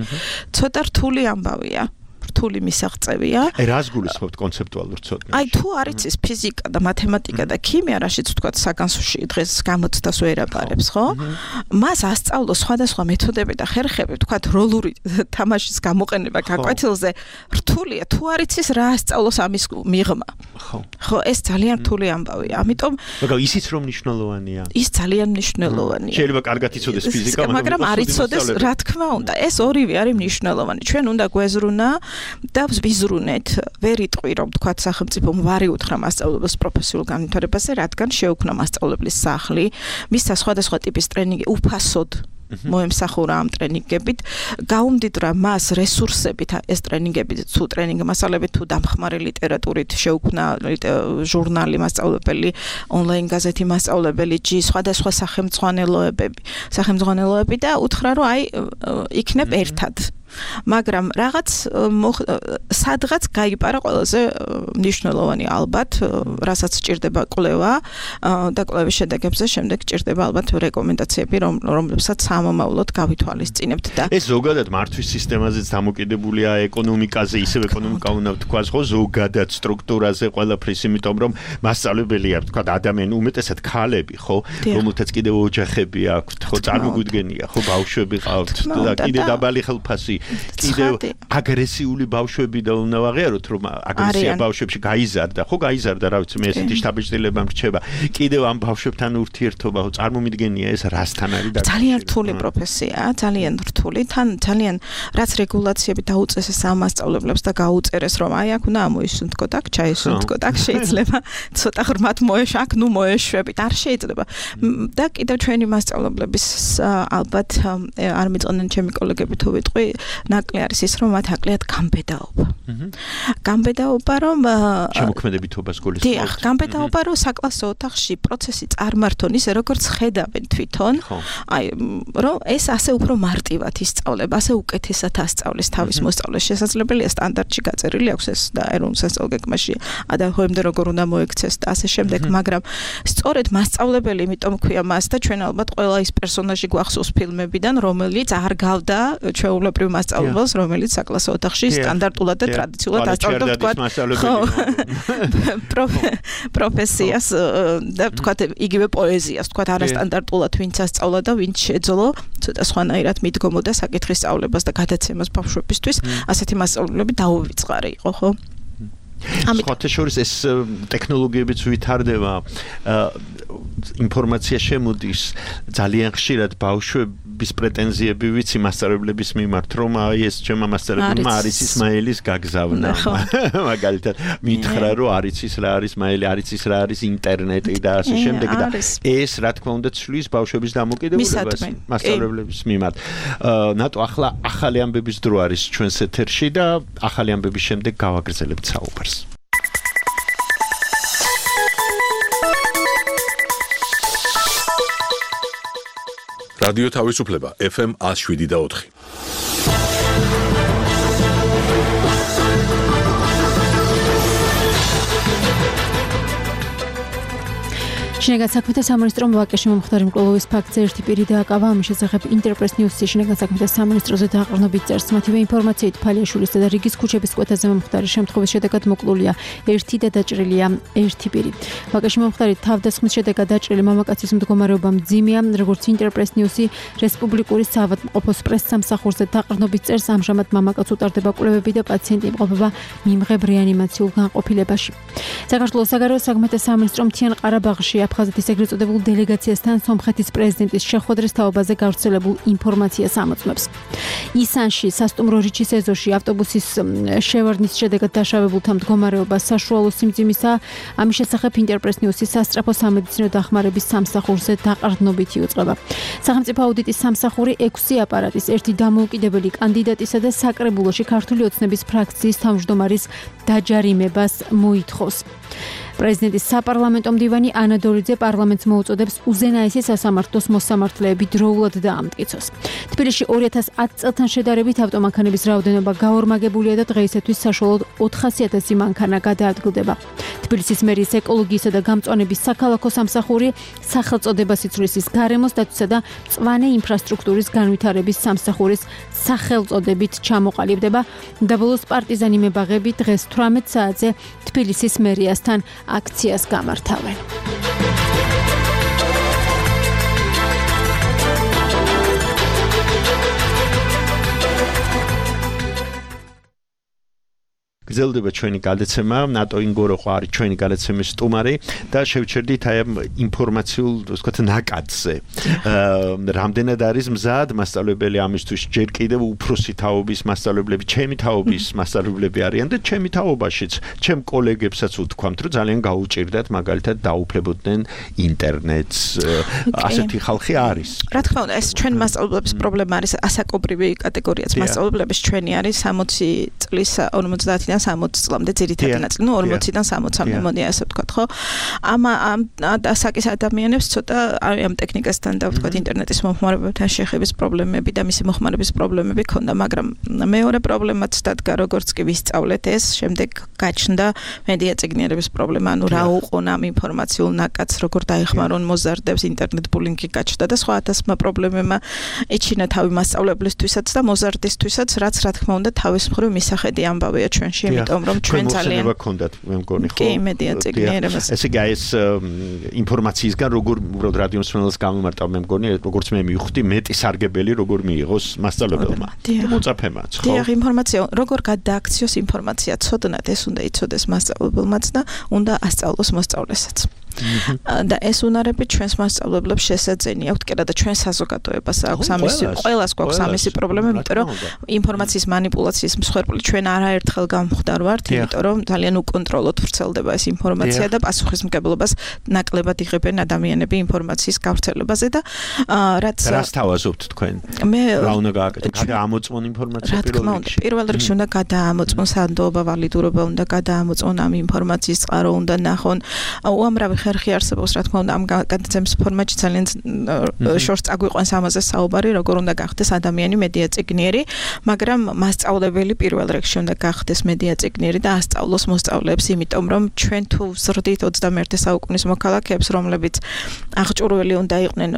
J: ცოტა რთული ამბავია. რთული მისაღწევია.
D: რას გულისხმობთ კონცეპტუალურ ცოდნაში?
J: აი თუ არ იცის ფიზიკა და მათემატიკა და ქიმია, რაშიც ვთქვათ საგანსოში დღეს გამოცდას ვერაბარებს, ხო? მას ასწავლოს სხვადასხვა მეთოდები და ხერხები, ვთქვათ როლური თამაშის გამოყენება გაკვეთილზე რთულია. თუ არ იცის რა ასწავლოს ამის მიღმა. ხო, ეს ძალიან რთული ამბავია. ამიტომ
D: მაგრამ ისიც რომ მნიშვნელოვანია.
J: ის ძალიან მნიშვნელოვანია.
D: შეიძლება კარგად იცოდეს ფიზიკა,
J: მაგრამ არ იცოდეს, რა თქმა უნდა, ეს ორივე არის მნიშვნელოვანი. ჩვენ უნდა გვეზრუნა და ვიზრუნეთ, ვერ იტყვი რომ თქვათ სახელმწიფომ ვარი უთხრა მასწავლებლის პროფესიულ განვითარებაზე, რადგან შეუქმნა მასწავლებლის სახლი, მისცა სხვადასხვა ტიპის ტრენინგი უფასოდ მოემსახურა ამ ტრენინგებით, გაუმდიდრა მას რესურსებით ეს ტრენინგები, თუ ტრენინგ მასალებით, თუ დამხმარე ლიტერატურით შეუქმნა ჟურნალი მასწავლებელი, ონლაინ გაზეთი მასწავლებელი, სხვადასხვა სახელმძღვანელოები და უთხრა რომ აი იქნებ ერთად. მაგრამ რაღაც სადღაც გაიპარა ყველაზე მნიშვნელოვანი ალბათ, რასაც სჭირდება კვლევა და კვლევის შედეგებზე შემდეგ სჭირდება ალბათ რეკომენდაციები, რომლებსაც სამომავლოდ გავითვალისწინებთ და
D: ეს ზოგადად მართვის სისტემაზეც დამოკიდებულია ეკონომიკაზე, ისევ ეკონომიკა უნდა ვთქვას, ხო, ზოგადად სტრუქტურაზე ყველაფრის, იმიტომ რომ მასწავლებელია, ვთქვა, ადამიანი უმეტესად ქალები, ხო, რომელთაც კიდევ ოჯახები აქვთ, ხო, წარმოგვიდგენია, ხო, ბავშვები ყავთ და კიდე დაბალი ხელფასი კიდევ აგრესიული ბავშვები და უნდა ვაღიაროთ რომ აგრესია ბავშვებში გაიზარდა, ხო გაიზარდა, რა ვიცი, მე ესეთი შთაბეჭდილება მრჩება. კიდევ ამ ბავშვებთან ურთიერთობა წარმომიდგენია ეს რასთან არის და
J: ძალიან რთული პროფესიაა, ძალიან რთული, თან ძალიან რაც რეგულაციები დაუწესეს ამ მასწავლებლებს და გაუწერეს რომ აი აქ უნდა ამოისუნთქოთ, აქ ჩაისუნთქოთ, აქ შეიძლება ცოტა ღრმად მოეშვა, აქ ნუ მოეშვებით, არ შეიძლება. და კიდევ ჩვენი მასწავლებლების ალბათ არ მიწოდნენ ჩემი კოლეგები თუ ვიტყვი, ნაკლი არის ის, რომ მათ აკლიათ გამბედაობა. გამბედაობა, რომ
D: შემოქმედებითობას გულისხმობთ.
J: დიახ, გამბედაობა, რომ საკლასო ოთახში პროცესი წარმართონ ისე, როგორც ხედავენ თვითონ. აი, რომ ეს ასე უფრო მარტივად ისწავლება, ასე უკეთესად ასწავლის თავის მოსწავლეს. შესაძლებელია სტანდარტში გაწერილი აქვს ეს და ეროვნულ სასწავლო გეგმაში ადამიანამდე როგორ უნდა მოექცეს და ასე შემდეგ, მაგრამ სწორედ მასწავლებელი, იმიტომ ქვია მას და ჩვენ ალბათ ყველა ის პერსონაჟი გვახსოვს ფილმებიდან, რომელიც არ გავდა ჩვეულებრივ მასწავლებელს, რომელიც საკლასო ოთახში სტანდარტულად და ტრადიციულად ასწავლიდა პროფესიას და თქვათ იგივე პოეზიას, თქვათ არასტანდარტულად ვინც ასწავლა და ვინც შეძლო ცოტა სხვანაირად მიდგომოდა საკითხის სწავლებას და გადაცემას ბავშვებისთვის, ასეთი მასწავლებლები დაუვიწყარი იყო, ხო?
D: სხვათა შორის ეს ტექნოლოგიებიც ვითარდება, ინფორმაცია შემოდის ძალიან ხშირად ბავშვების პრეტენზიები ვიცი მასწავლებლების მიმართ, რომ აი ეს ჩემმა მასწავლებელმა არის ისმაილის გაგზავნა. მაგალითად, მითხრა რომ არის ის რა არის მაილი, არის ის რა არის ინტერნეტი და ასე შემდეგ და ეს რა თქმა უნდა ცვლის ბავშვების დამოკიდებულებას მასწავლებლების მიმართ. ნატო ახლა ახალი ამბების დრო არის ჩვენს ეთერში და ახალი ამბების შემდეგ გავაგრძელებთ საუბარს.
A: რადიო თავისუფლება FM 107.4.
E: შინაგან საქმეთა სამინისტრომ ვაკეში მომხდარი მკვლელობის ფაქტზე ერთი პირი დააკავა. ამის შესახებ ინტერპრეს ნიუსში შინაგან საქმეთა სამინისტროზე დაყრდნობით წერს. მათივე ინფორმაციით ფალიაშვილისა და რიგის ქუჩების კვეთაზე მომხდარი შემთხვევის შედეგად მოკლულია ერთი და დაჭრილია ერთი პირი. ვაკეში მომხდარი თავდასხმის შედეგად დაჭრილი მამაკაცის მდგომარეობა მძიმეა, როგორც ინტერპრეს ნიუსი რესპუბლიკური საავადმყოფოს პრესსამსახურზე დაყრდნობით წერს. ამჟამად მამაკაც უტარდება კვლევები და პაციენტი იმყოფება მიმღებ რეანიმაციულ განყოფილებაში. საქართველოს საგარეო საქმეთა სამინისტრომ მთიან ყარაბაღში აფხაზეთის ეგრეთ წოდებულ დელეგაციასთან სომხეთის პრეზიდენტის შეხვედრის თაობაზე გავრცელებულ ინფორმაციას ამოწმებს. ისანში სასტუმრო რიჩის ეზოში ავტობუსის შევარდნის შედეგად დაშავებულთა მდგომარეობა საშუალო სიმძიმისა. ამის შესახებ ინტერპრეს ნიუსის სასწრაფო სამედიცინო დახმარების სამსახურზე დაყრდნობით იუწყება. სახელმწიფო აუდიტის სამსახური 6 აპარატის, ერთი დამოუკიდებელი კანდიდატისა და საკრებულოში ქართული ოცნების ფრაქციის თავმჯდომარის დაჯარიმებას მოითხოვს. პრეზიდენტის საპარლამენტო მდივანი ანა დორიძე პარლამენტს მოუწოდებს უზენაესი სასამართლოს მოსამართლეები დროულად დაამტკიცოს. თბილისში 2010 წელთან შედარებით ავტომანქანების რაოდენობა გაორმაგებულია და დღეისათვის საშუალოდ 400,000 მანქანა გადაადგილდება. თბილისის მერიის ეკოლოგიისა და გამწვანების საქალაქო სამსახური სახელწოდებას იცვლის ის გარემოს დაცვისა და მწვანე ინფრასტრუქტურის განვითარების სამსახურის სახელწოდებით ჩამოყალიბდება. და ბოლოს პარტიზანი მებაღები დღეს 18 საათზე თბილისის მერიასთან აქციას გამართავენ.
D: გრძელდება ჩვენი გადაცემა, ნატო ინგოროყო არის ჩვენი გადაცემის სტუმარი და შევჩერდით აი ამ ინფორმაციულ, ასე ვთქვათ, ნაკადზე. რამდენად არის მზად მასწავლებელი ამისთვის ჯერ კიდევ უფროსი თაობის მასწავლებლები, ჩემი თაობის მასწავლებლები არიან და ჩემი თაობაშიც, ჩემ კოლეგებსაც ვთქვამთ, რომ ძალიან გაუჭირდათ მაგალითად დაუფლებოდნენ ინტერნეტს. ასეთი ხალხი არის.
J: რა თქმა უნდა, ეს ჩვენ მასწავლებლების პრობლემა არის, ასაკობრივი კატეგორიაც მასწავლებლების ჩვენი არის 60 წლის 50-დან 60 წლამდე ძირითადი ნაწილი, ნუ 40-დან 60-მდე მომდია ასე ვთქვათ, ხო? ამ ასაკის ადამიანებს ცოტა ამ ტექნიკასთან და ვთქვათ ინტერნეტის მომხმარებებთან შეხების პრობლემები და მისი მოხმარების პრობლემები ქონდა, მაგრამ მეორე პრობლემაც დადგა, როგორც კი ვისწავლეთ ეს, შემდეგ გაჩნდა მედია წიგნიერების პრობლემა, ანუ რა უყონ ამ ინფორმაციულ ნაკადს, როგორ დაეხმარონ მოზარდებს, ინტერნეტ ბულინგი გაჩნდა და სხვა ათასმა პრობლემებმა ეჩინა თავი მასწავლებლისთვისაც და მოზარდისთვისაც, რაც რა თქმა უნდა თავის მხრივ მისახედი ამბავია ჩვენში. იმიტომ რომ ჩვენ ძალიან
D: გქონდათ მე მგონი ხო?
J: კი, მედია წიგნიერებას.
D: ესე იგი ეს ინფორმაციისგან როგორ უბრალოდ რადიო მსმენელს გამიმარტავ მე მგონი როგორც მე მივხვდი მეტი სარგებელი როგორ მიიღოს მასწავლებელმა. მოწაფემაც ხო?
J: დიახ, ინფორმაცია როგორ გადააქციოს ინფორმაცია ცოდნად ეს უნდა იცოდეს მასწავლებელმაც და უნდა ასწავლოს მოსწავლესაც. და ეს უნარები ჩვენს მასწავლებლებს შესაძენი აქვთ კიდე და ჩვენ საზოგადოებას აქვს ამისი ყველას გვაქვს ამისი პრობლემა, იმიტომ რომ ინფორმაციის манипуляციის მსხვერპლი ჩვენ არაერთხელ გამხვდარ ვართ, იმიტომ რომ ძალიან უკონტროლოდ ვრცელდება ეს ინფორმაცია და პასუხისმგებლობას ნაკლებად იღებენ ადამიანები ინფორმაციის გავრცელებაზე და რაც
D: თავაზობთ თქვენ?
J: მე
D: რა უნდა გააკეთოთ? გადაამოწმონ ინფორმაცია
J: პირველ რიგში უნდა გადაამოწმონ სანდოობა, ვალიდურობა უნდა გადაამოწმონ ამ ინფორმაციის წყარო უნდა ნახონ. უამრავი ხერხი არსებობს, რა თქმა უნდა, ამ გადაცემის ფორმატში ძალიან შორს წაგვიყვანს ამაზე საუბარი, როგორ უნდა გახდეს ადამიანი მედია წიგნიერი, მაგრამ მასწავლებელი პირველ რიგში უნდა გახდეს მედია წიგნიერი და ასწავლოს მოსწავლეებს, იმიტომ რომ ჩვენ თუ ვზრდით 21 საუკუნის მოქალაქეებს, რომლებიც აღჭურველი უნდა იყვნენ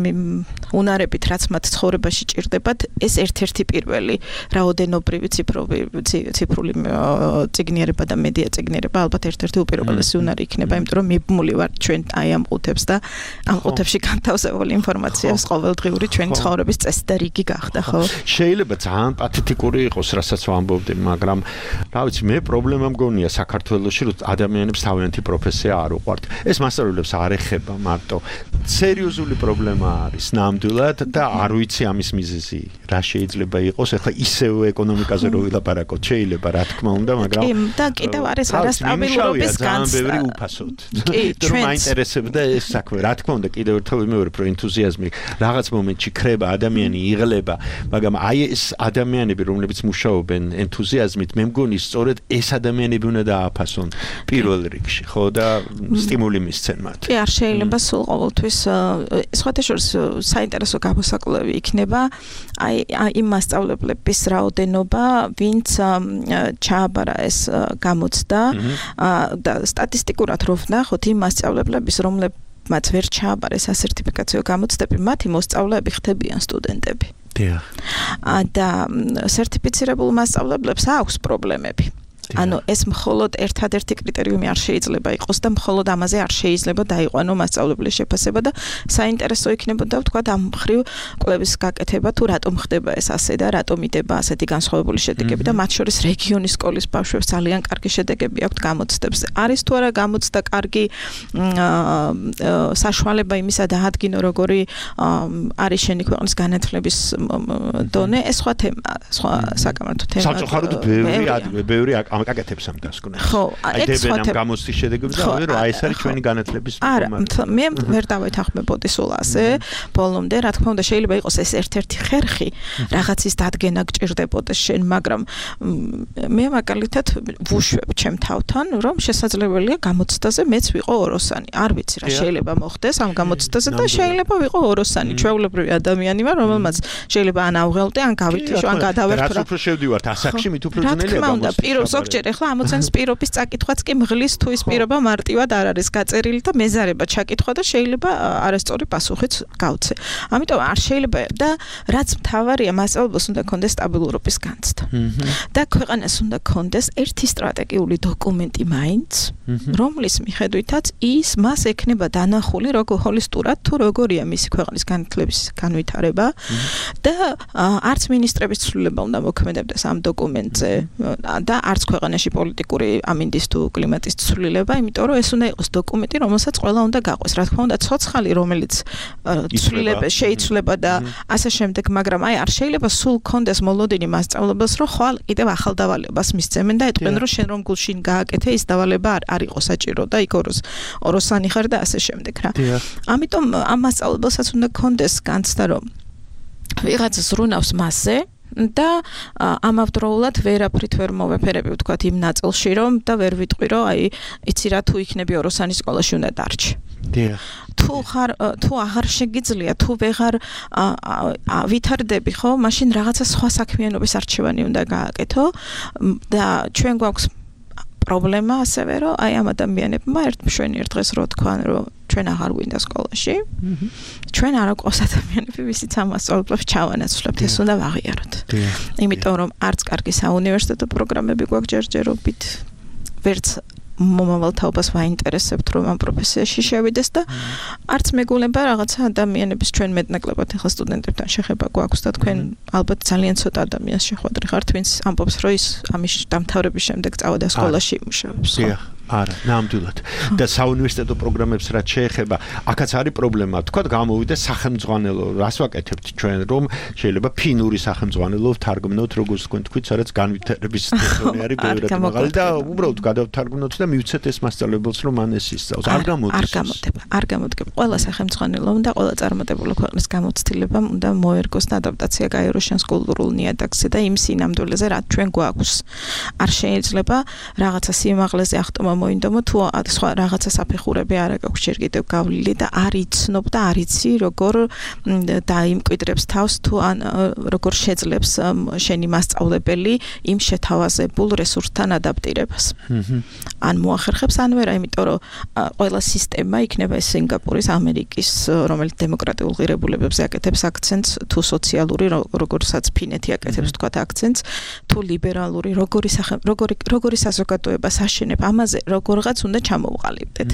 J: იმ უნარებით, რაც მათ ცხოვრებაში ჭირდებათ, ეს ერთ-ერთი პირველი რაოდენობრივი ციფრული წიგნიერება და მედია წიგნიერება ალბათ ერთ-ერთი უპირველესი უნარი იქნება, იმიტომ რომ მიბმული ვართ ჩვენ აი ამ ყუთებს და ამ ყუთებში განთავსებული ინფორმაციას ყოველდღიური ჩვენი ცხოვრების წესი და რიგი გახდა, ხო?
D: შეიძლება ძალიან პათეტიკური იყოს, რასაც ვამბობდი, მაგრამ რა ვიცი, მე პრობლემა მგონია საქართველოში, რომ ადამიანებს თავიანთი პროფესია არ უყვართ. ეს მასწავლებლებს არ ეხება მარტო. სერიოზული პრობლემა არის ნამდვილად და არ ვიცი ამის მიზეზი რა შეიძლება იყოს. ეხლა ისევ ეკონომიკაზე რო ვილაპარაკოთ, შეიძლება რა თქმა უნდა, მაგრამ
J: და კიდევ არის არასტაბილურობის განცდა.
D: ბევრი უფასოდ. რომ აინტერესებდა ეს საქმე. რა თქმა უნდა, კიდევ ერთხელ ვიმეორებ, რომ ენთუზიაზმი რაღაც მომენტში ხრება, ადამიანი იღლება, მაგრამ აი ეს ადამიანები, რომლებიც მუშაობენ ენთუზიაზმით, მე მგონი სწორედ ეს ადამიანები უნდა დააფასონ პირველ რიგში, ხო და სტიმული მისცენ მათ.
J: კი, არ შეიძლება სულ ყოველთვის სხვათა შორის საინტერესო გამოსაკვლევი იქნება აი იმ მასწავლებლების რაოდენობა, ვინც ჩააბარა ეს გამოცდა და სტატისტიკურად რო ვნახოთ იმ მასწავლებლების, რომლებმაც ვერ ჩააბარეს ასერტიფიკაციო გამოცდები, მათი მოსწავლეები ხდებიან სტუდენტები. და სერტიფიცირებულ მასწავლებლებს აქვს პრობლემები. ანუ ეს მხოლოდ ერთადერთი კრიტერიუმი არ შეიძლება იყოს და მხოლოდ ამაზე არ შეიძლება დაიყვანო მასწავლებლის შეფასება და საინტერესო იქნებოდა ვთქვა ამ მხრივ კვლევის გაკეთება თუ რატომ ხდება ეს ასე და რატომ იდება ასეთი განსხვავებული შედეგები და მათ შორის რეგიონის სკოლის ბავშვებს ძალიან კარგი შედეგები აქვთ გამოცდებზე. არის თუ არა გამოცდა კარგი საშუალება იმისა დაადგინო როგორი არის შენი ქვეყნის განათლების დონე, ეს სხვა თემა, სხვა საკამათო თემა.
D: სამწუხაროდ ბევრი აკეთებს ამ დასკვნას.
J: ხო,
D: ეს სხვა თემა. გამოცდის შედეგები და რა ეს არის ჩვენი განათლების
J: არა, მე ვერ დავეთანხმებოდი სულ ასე ბოლომდე, რა თქმა უნდა შეიძლება იყოს ეს ერთ-ერთი ხერხი, რაღაცის დადგენა გჭირდებოდეს შენ, მაგრამ მე მაგალითად ვუშვებ ჩემ თავთან, რომ შესაძლებელია გამოცდაზე მეც ვიყო ოროსანი. არ ვიცი რა შეიძლება მოხდეს ამ გამოცდაზე და შეიძლება ვიყო ოროსანი. ჩვეულებრივი ადამიანი ვარ, რომელმაც შეიძლება ან ავღელდე, ან გავითიშო, ან გადავერთო.
D: რაც უფრო შევდივართ ასაკში, მით უფრო ძნელია
J: გამოცდა. ზოგჯერ ახლა ამოცანის პირობის წაკითხვაც კი მღლის თუ ის პირობა მარტივად არ არის გაწერილი და მეზარება ჩაკითხვა და შეიძლება არასწორი პასუხიც გავცე. ამიტომ არ შეიძლება და რაც მთავარია მასწავლებელს უნდა კონდეს სტაბილურობის განცდა. და ქვეყანას უნდა კონდეს ერთი სტრატეგიული დოკუმენტი მაინც, რომლის მიხედვითაც ის მას ექნება დანახული როგორ ჰოლისტურად თუ როგორია მისი ქვეყნის განათლების განვითარება და არც მინისტრების ცვლილება უნდა მოქმედებდეს ამ დოკუმენტზე და არც ქვეყანაში პოლიტიკური ამინდის თუ კლიმატის ცვლილება, იმიტომ რომ ეს უნდა იყოს დოკუმენტი, რომელსაც ყველა უნდა გაყვეს. რა თქმა უნდა, ცოცხალი, რომელიც შეიძლება და ასე შემდეგ, მაგრამ აი არ შეიძლება სულ კონდეს მოლოდინი მასწავლებელს, რომ ხვალ კიდევ ახალ დავალებას მისცემენ და ეტყვენ, რომ შენ რომ გულშინ გააკეთე, ის დავალება არ იყო საჭირო და იქ ოროსანი ხარ და ასე შემდეგ რა. ამიტომ ამ მასწავლებელსაც უნდა კონდეს განცდა, რომ ვიღაცა ზრუნავს მასზე და ამავდროულად ვერაფრით ვერ მოვეფერები ვთქვათ იმ ნაწილში რომ და ვერ ვიტყვი რომ აი იცი რა თუ იქნები ოროსანის სკოლაში უნდა დარჩი. თუ აღარ შეგიძლია თუ ვეღარ ვითარდები ხო მაშინ რაღაცა სხვა საქმიანობის არჩევანი უნდა გააკეთო და ჩვენ გვაქვს პრობლემა ასევე რომ აი ამ ადამიანებმა ერთ დღეს რო თქვან რომ ჩვენ აღარ გვინდა სკოლაში ჩვენ არ გვყავს ადამიანები ვისიც ამ მასწავლებლებს ჩავანაცვლებთ ეს უნდა ვაღიაროთ იმიტომ რომ არც კარგი საუნივერსიტეტო პროგრამები გვაქვს ჯერჯერობით ვერც მომავალ თაობას ვაინტერესებთ რომ ამ პროფესიაში შევიდეს და არც მეგულება რაღაცა ადამიანების ჩვენ მეტნაკლებად ახლა სტუდენტებთან შეხება გვაქვს და თქვენ ალბათ ძალიან ცოტა ადამიანს შეხვედრი ხართ ვინც ამბობს რომ ის ამის დამთავრების შემდეგ წავიდა სკოლაში იმუშავებს
D: არა, ნამდვილად. და საუნივერსიტეტო პროგრამებს რაც შეეხება, აქაც არის პრობლემა. თქვა გამოვიდა სახელმძღვანელო, რას ვაკეთებთ ჩვენ, რომ შეიძლება ფინური სახელმძღვანელო ვთარგმნოთ, როგორც თქვენ თქვით, სადაც განვითარების ტექნოლოგია არის ბევრად მაღალი და უბრალოდ გადავთარგმნოთ და მივცეთ ეს მასწავლებელს, რომ მან ეს ისწავლოს. არ
J: გამოდგება. ყველა სახელმძღვანელო და ყველა წარმატებული ქვეყნის გამოცდილებამ უნდა მოერგოს და ადაპტაცია გაიაროს შენს კულტურულ ნიადაგზე და იმ სინამდვილეზე, რაც ჩვენ გვაქვს. არ შეიძლება რაღაცა სიმაღლეზე ახტომა მოინდომო თუ სხვა რაღაცა საფეხურები არ აქვს ჯერ კიდევ გავლილი და არ იცნობ და არ იცი როგორ დაიმკვიდრებს თავს თუ ან როგორ შეძლებს შენი მასწავლებელი იმ შეთავაზებულ რესურსთან ადაპტირებას. ან მოახერხებს ან ვერა, იმიტომ რომ ყველა სისტემა იქნება ეს სინგაპურის, ამერიკის, რომელიც დემოკრატიულ ღირებულებებზე აკეთებს აქცენტს, თუ სოციალური, როგორცაც ფინეთი აკეთებს თქვა აქცენტს, თუ ლიბერალური, როგორი საზოგადოება საშენებ, ამაზე როგორღაც უნდა ჩამოვყალიბდეთ.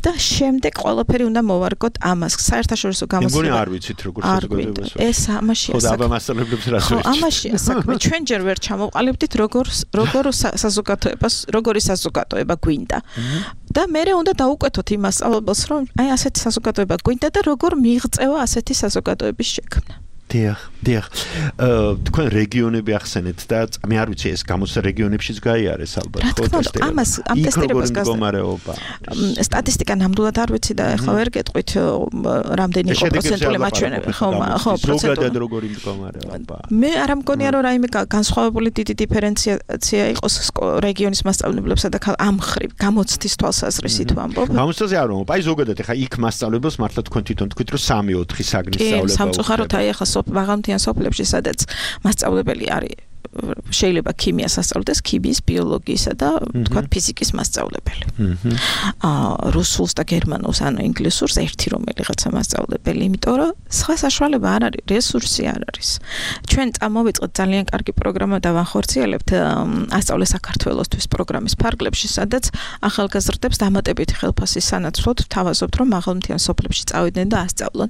J: და შემდეგ ყველაფერი უნდა მოვარგოთ ამას. საერთაშორისო გამოცდილება.
D: არ ვიცით როგორ საზოგადოებას.
J: ეს ამაშია საქმე.
D: ხოდა მასწავლებლებს რას
J: ხო, ამაშია საქმე. ჩვენ ჯერ ვერ ჩამოვყალიბდით როგორ საზოგადოებას, როგორი საზოგადოება გვინდა. და მერე უნდა დაუკვეთოთ იმ მასწავლებელს, რომ აი ასეთი საზოგადოება გვინდა და როგორ მიიღწევა ასეთი საზოგადოების შექმნა.
D: დიახ. თქვენ რეგიონები ახსენეთ და მე არ ვიცი ეს გამოცდა რეგიონებშიც გაიარეს ალბათ,
J: ხო, ტესტი. ამ ტესტირებას
D: მდგომარეობა.
J: სტატისტიკა ნამდვილად არ ვიცი და ეხლა ვერ გეტყვით რამდენი იყო პროცენტული მაჩვენებელი, ხო,
D: ზოგადად როგორი მდგომარეობა.
J: მე არ მგონია რომ რაიმე განსხვავებული დიდი დიფერენციაცია იყოს რეგიონის მასწავლებლებსა და ამ ხრივ გამოცდის თვალსაზრისით ვამბობ.
D: გამოცდაზე არ ვამბობ, აი ზოგადად ეხლა იქ მასწავლებელს მართლა თქვენ თვითონ თქვით რომ 3-4 საგნის სწავლება.
J: კი, სამწუხაროდ აი ეხლა მაღალმთიან სოფლებში, სადაც მასწავლებელი არის შეიძლება ქიმიას ასწავლდეს, ქიმიის, ბიოლოგიისა და თქვათ ფიზიკის მასწავლებელი. რუსულს და გერმანულს, ანუ ინგლისურს ერთი რომელიღაცა მასწავლებელი, იმიტომ რომ სხვა საშუალება არ არის, რესურსი არ არის. ჩვენ წამოვიწყეთ ძალიან კარგი პროგრამა და ვახორციელებთ ასწავლე საქართველოსთვის პროგრამის ფარგლებში, სადაც ახალგაზრდებს დამატებითი ხელფასის სანაცვლოდ ვთავაზობთ, რომ მაღალმთიან სოფლებში წავიდნენ და ასწავლონ.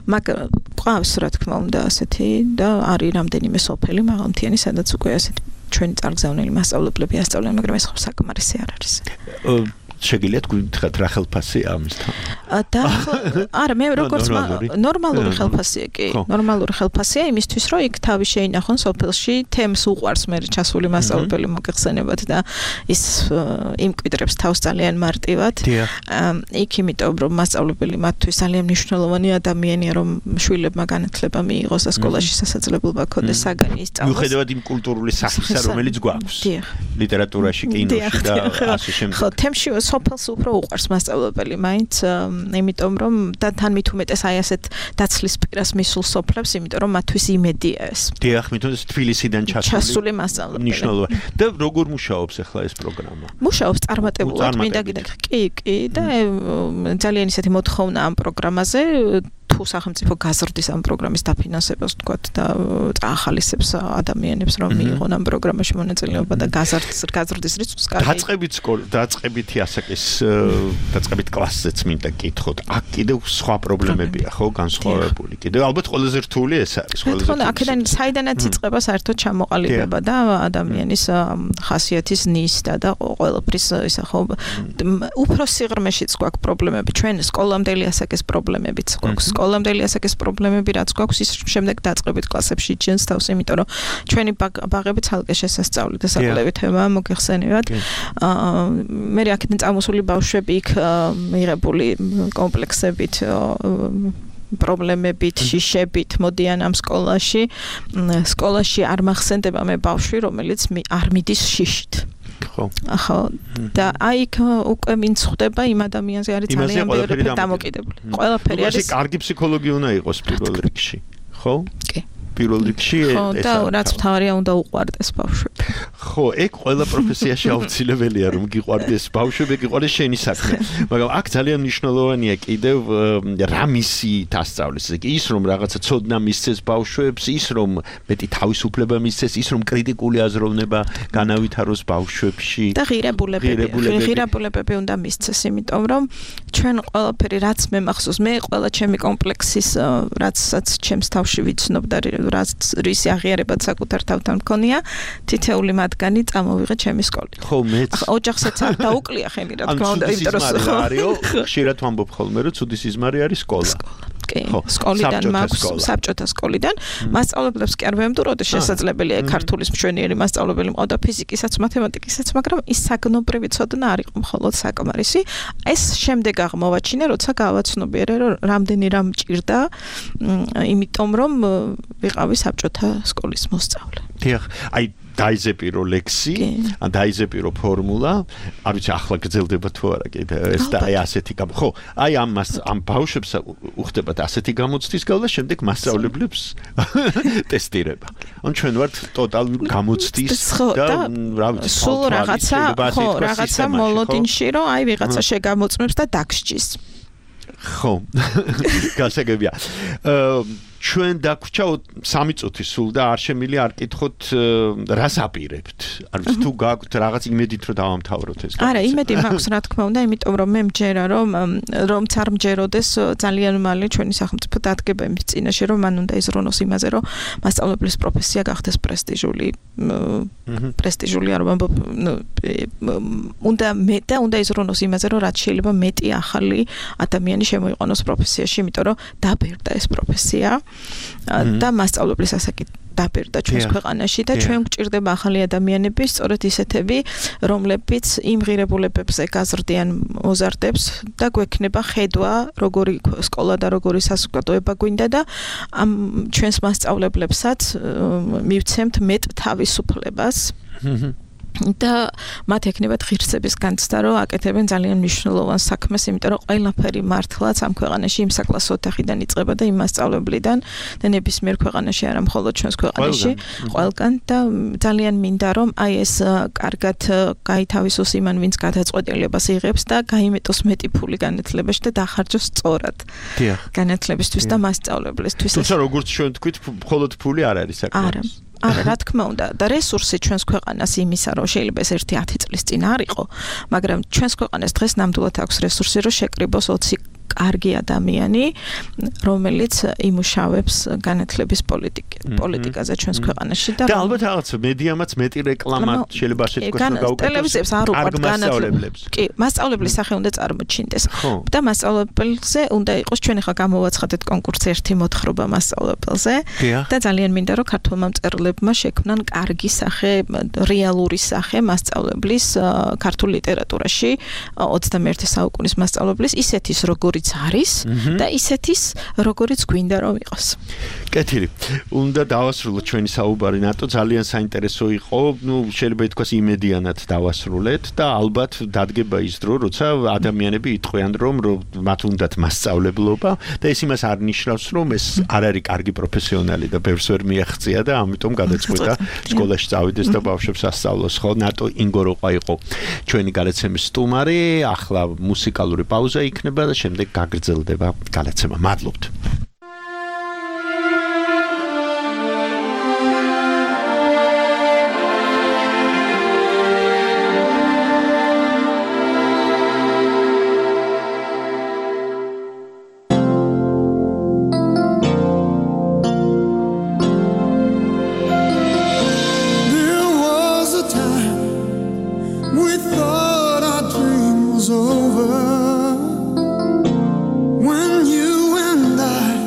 J: მაგრამ ყავს რა თქმა უნდა ასეთი და არის რამდენიმე სოფელი მაღალმთიანი, სადაც უკვე ასეთ ჩვენი წარგზავნილი მასწავლებლები ასწავლიან, მაგრამ ეს ხო საკმარისი არ არის.
D: შეგიძლიათ გითხრათ რა ხელფასია ამისთან?
J: არა, მე როგორც ნორმალური ხელფასია, კი, ნორმალური ხელფასია იმისთვის, რომ იქ თავი შეინახონ სოფელში, თემს უყვარს მე ჩასული მასწავლებელი მოგეხსენებათ და ის იმკვიდრებს თავს ძალიან მარტივად. იქ იმიტომ რომ მასწავლებელი მათთვის ძალიან მნიშვნელოვანი ადამიანია, რომ შვილებმა განათლება მიიღოს და სკოლაში სასაძლებელობა ქონდეს საგანი ისწავლოს.
D: მიუხედავად იმ კულტურული სახისა, რომელიც გვაქვს. ლიტერატურაში, კინოში და ასე შემდეგ.
J: ხო, თემში სოფელს უფრო უყვარს მასწავლებელი, მაინც იმიტომ რომ და თან მით უმეტეს აი ასეთ დაცლის პირას მისულ სოფლებს, იმიტომ რომ მათთვის იმედია ეს.
D: დიახ, მით უმეტეს თბილისიდან
J: ჩასული მასწავლებელი.
D: მნიშვნელოვანი. და როგორ მუშაობს ახლა ეს პროგრამა?
J: მუშაობს წარმატებულად, მინდა გითხრათ. კი, და ძალიან ისეთი მოთხოვნა ამ პროგრამაზე. თუ სახელმწიფო გაზრდის ამ პროგრამის დაფინანსებას თქვათ და ახალისებს ადამიანებს რომ მიიღონ ამ პროგრამაში მონაწილეობა და გაზრდის რიცხვს
D: დაწყებითი ასაკის დაწყებით კლასზეც მინდა გითხოთ. აქ კიდევ სხვა პრობლემებია, ხო, განსხვავებული. კიდევ ალბათ ყველაზე რთული ეს არის,
J: ყველაზე. თქო, აქედან საიდანაც იწყება საერთოდ ჩამოყალიბება და ადამიანის ხასიათის ნისდა და ყველაფრის ისა ხო უფრო სიღრმეშიც გვაქვს პრობლემები. ჩვენ სკოლამდელი ასაკის პრობლემებიც გვაქვს. სკოლამდელი ასაკის პრობლემები რაც გვაქვს ის შემდეგ დაწყებით კლასებში იჩენს თავს, იმიტომ რომ ჩვენი ბაღები ცალკე შესასწავლი და საკვლევი თემაა მოგეხსენებათ. მე აქედან წამოსული ბავშვები იქ მიღებული კომპლექსებით პრობლემებით, შიშებით მოდიან ამ სკოლაში. სკოლაში არ მახსენდება მე ბავშვი, რომელიც არ მიდის შიშით. ხო, და აი იქ უკვე ვინც ხვდება იმ ადამიანზე არის ძალიან ბევრი დამოკიდებული. ყველაფერი არის.
D: კარგი ფსიქოლოგი უნდა იყოს პირველ რიგში, ხო?
J: კი.
D: პირველ რიგში ეს
J: და რაც მთავარია უნდა უყვარდეს ბავშვები.
D: ხო, ეგ ყველა პროფესიაში აუცილებელია რომ გიყვარდეს ბავშვები, გიყვარდეს შენი საქმე. მაგრამ აქ ძალიან მნიშვნელოვანია კიდევ რა მისიით ასწავლის. ის რომ რაღაცა ცოდნა მისცეს ბავშვებს, ის რომ მეტი თავისუფლება მისცეს, ის რომ კრიტიკული აზროვნება განავითაროს ბავშვებში
J: და ღირებულებები უნდა მისცეს, იმიტომ რომ ჩვენ ყველაფერი რაც მე მახსოვს, მე ყველა ჩემი კომპლექსის რაცაც ჩემს თავში ვიცნობ და რაც რისი აღიარებაც საკუთარ თავთან მქონია, თითეული მათგანი წამოვიღე ჩემი სკოლით.
D: ხო, მეც.
J: ოჯახსაც არ დაუკლია ხელი, რა თქმა უნდა, იმიტომ რომ
D: ხშირად ვამბობ ხოლმე, რომ ცუდი სიზმარი არის სკოლა.
J: კი, სკოლიდან მაქვს, საბჭოთა სკოლიდან. მასწავლებლებს კი არ ვემტუროდი, შესაძლებელია ქართულის მშვენიერი მასწავლებელი მყავდა, ფიზიკისაც, მათემატიკისაც, მაგრამ ის საგნობრივი ცოდნა არ იყო მხოლოდ საკმარისი. ეს შემდეგ აღმოვაჩინე, როცა გავაცნობიერე, რომ რამდენი რამ მჭირდა, იმიტომ რომ ვიყავი საბჭოთა სკოლის მოსწავლე.
D: დიახ, აი დაიზეპირო ლექსი, ან დაიზეპირო ფორმულა, არ ვიცი ახლა გრძელდება თუ არა კიდე ეს და აი ასეთი ხო, აი ამ ბავშვებს უხდებათ ასეთი გამოცდის გავლა, შემდეგ მასწავლებლებს ტესტირება. ან ჩვენ ვართ ტოტალური გამოცდის და რა ვიცი,
J: სულ რაღაცა მოლოდინში, რომ აი ვიღაცა შეგამოწმებს და დაგსჯის.
D: ხო. გასაგებია. ჩვენ დაგვრჩა 3 წუთი სულ და არ შემილი არ კითხოთ რას აპირებთ. არ ვიცი თუ გაქვთ რაღაც იმედით რომ დავამთავროთ ეს.
J: არა, იმედი მაქვს რა თქმა უნდა, იმიტომ რომ მე მჯერა რომ არ მჯეროდეს ძალიან მალე ჩვენი სახელმწიფო დადგება იმის წინაშე რომ მან უნდა იზრუნოს იმაზე რომ მასწავლებლის პროფესია გახდეს პრესტიჟული არ ვამბობ უნდა იზრუნოს იმაზე რომ რაც შეიძლება მეტი ახალი ადამიანი შემოიყვანოს პროფესიაში, იმიტომ რომ დაბერდა ეს პროფესია. და მასწავლებლის ასაკი დაბერდა ჩვენს ქვეყანაში და ჩვენ გვჭირდება ახალი ადამიანები, სწორედ ისეთები, რომლებიც იმ ღირებულებებზე გაზრდიან მოზარდებს და გვექნება ხედვა, როგორი სკოლა და როგორი საზოგადოება გვინდა და ამ ჩვენს მასწავლებლებსაც მივცემთ მეტ თავისუფლებას. და მათ ექნებათ ღირსების განცდა, რომ აკეთებენ ძალიან მნიშვნელოვან საქმეს, იმიტომ რომ ყველაფერი მართლაც ამ ქვეყანაში იმ საკლასო ოთახიდან იწყება და იმ მასწავლებლიდან და ნებისმიერ ქვეყანაში, არა მხოლოდ ჩვენს ქვეყანაში, ყველგან და ძალიან მინდა რომ აი ეს კარგად გაითავისოს იმან, ვინც გადაწყვეტილებას იღებს და გაიმეტოს მეტი ფული განათლებაში და დახარჯოს სწორად. განათლებისთვის და მასწავლებლისთვის.
D: თუმცა როგორც ჩვენ თქვით, მხოლოდ ფული არ არის საქმე.
J: არა, რა თქმა უნდა, და რესურსი ჩვენს ქვეყანას იმისა, რომ შეიძლება ეს 1-10 წლის წინ არ იყო, მაგრამ ჩვენს ქვეყანას დღეს ნამდვილად აქვს რესურსი, რომ შეკრიბოს 20 კარგი ადამიანი, რომელიც იმუშავებს განათლების პოლიტიკაზე ჩვენს ქვეყანაში და
D: ალბათ რაღაც მედიამაც მეტი რეკლამა შეიძლება ასე თქვა გავუკეთოს.
J: ტელევიზიებს არ უყვართ განათლებას. კი, მასწავლებლის სახე უნდა წარმოჩინდეს. და მასწავლებელზე უნდა იყოს, ჩვენ ახლა გამოვაცხადეთ კონკურსი ერთი მოთხრობა მასწავლებელზე და ძალიან მინდა რომ ქართულმა მწერლებმა შექმნან კარგი სახე, რეალური სახე მასწავლებლის ქართულ ლიტერატურაში 21 საუკუნის მასწავლებლის ისეთის როგორიც არის და ისეთის როგორიც გვინდა რომ იყოს.
D: კეთილი. უნდა დავასრულოთ ჩვენი საუბარი ნატო, ძალიან საინტერესო იყო. შეიძლება ითქვას იმედიანად დავასრულეთ და ალბათ დადგება ის დრო, როცა ადამიანები იტყვიან რომ მათ უნდათ მასწავლებლობა და ეს იმას არ ნიშნავს რომ ეს არ არის კარგი პროფესიონალი და ბევრს ვერ მიაღწია და ამიტომ გადაწყვიტა სკოლაში წავიდეს და ბავშვებს ასწავლოს. ხო, ნატო ინგოროყა იყო ჩვენი გადაცემის სტუმარი. ახლა მუსიკალური პაუზა იქნება და შემდეგ გაგრძელდება გადაცემა. მადლობთ.
K: Over when you and I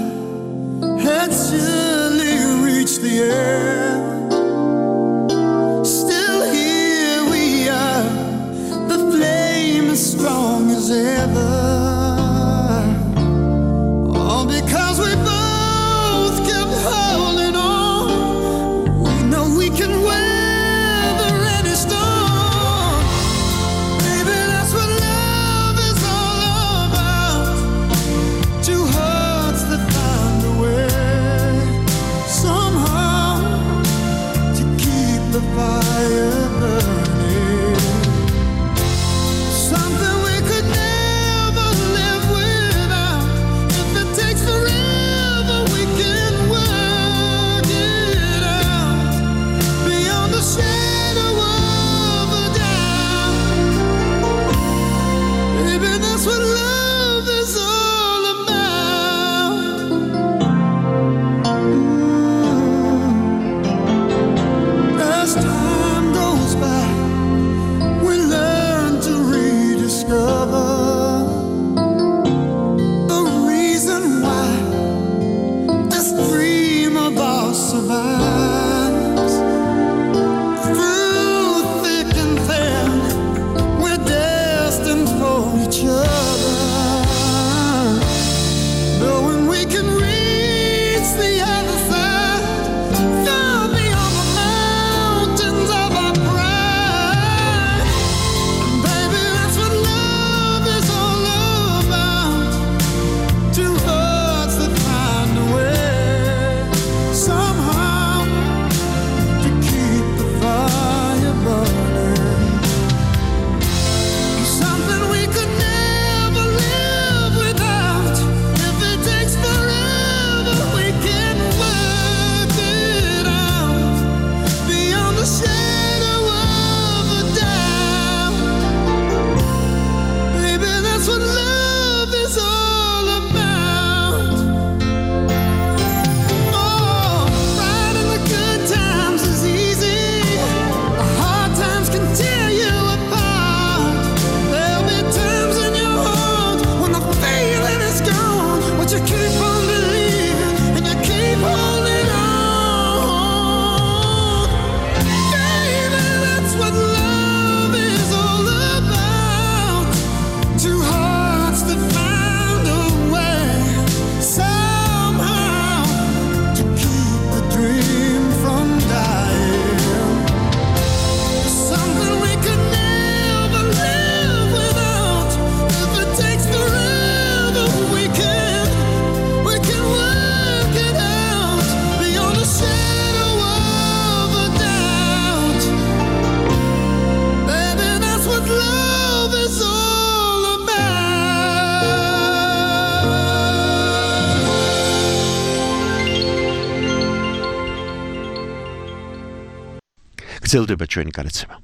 D: გრძელდება ჩვენი განაცემა.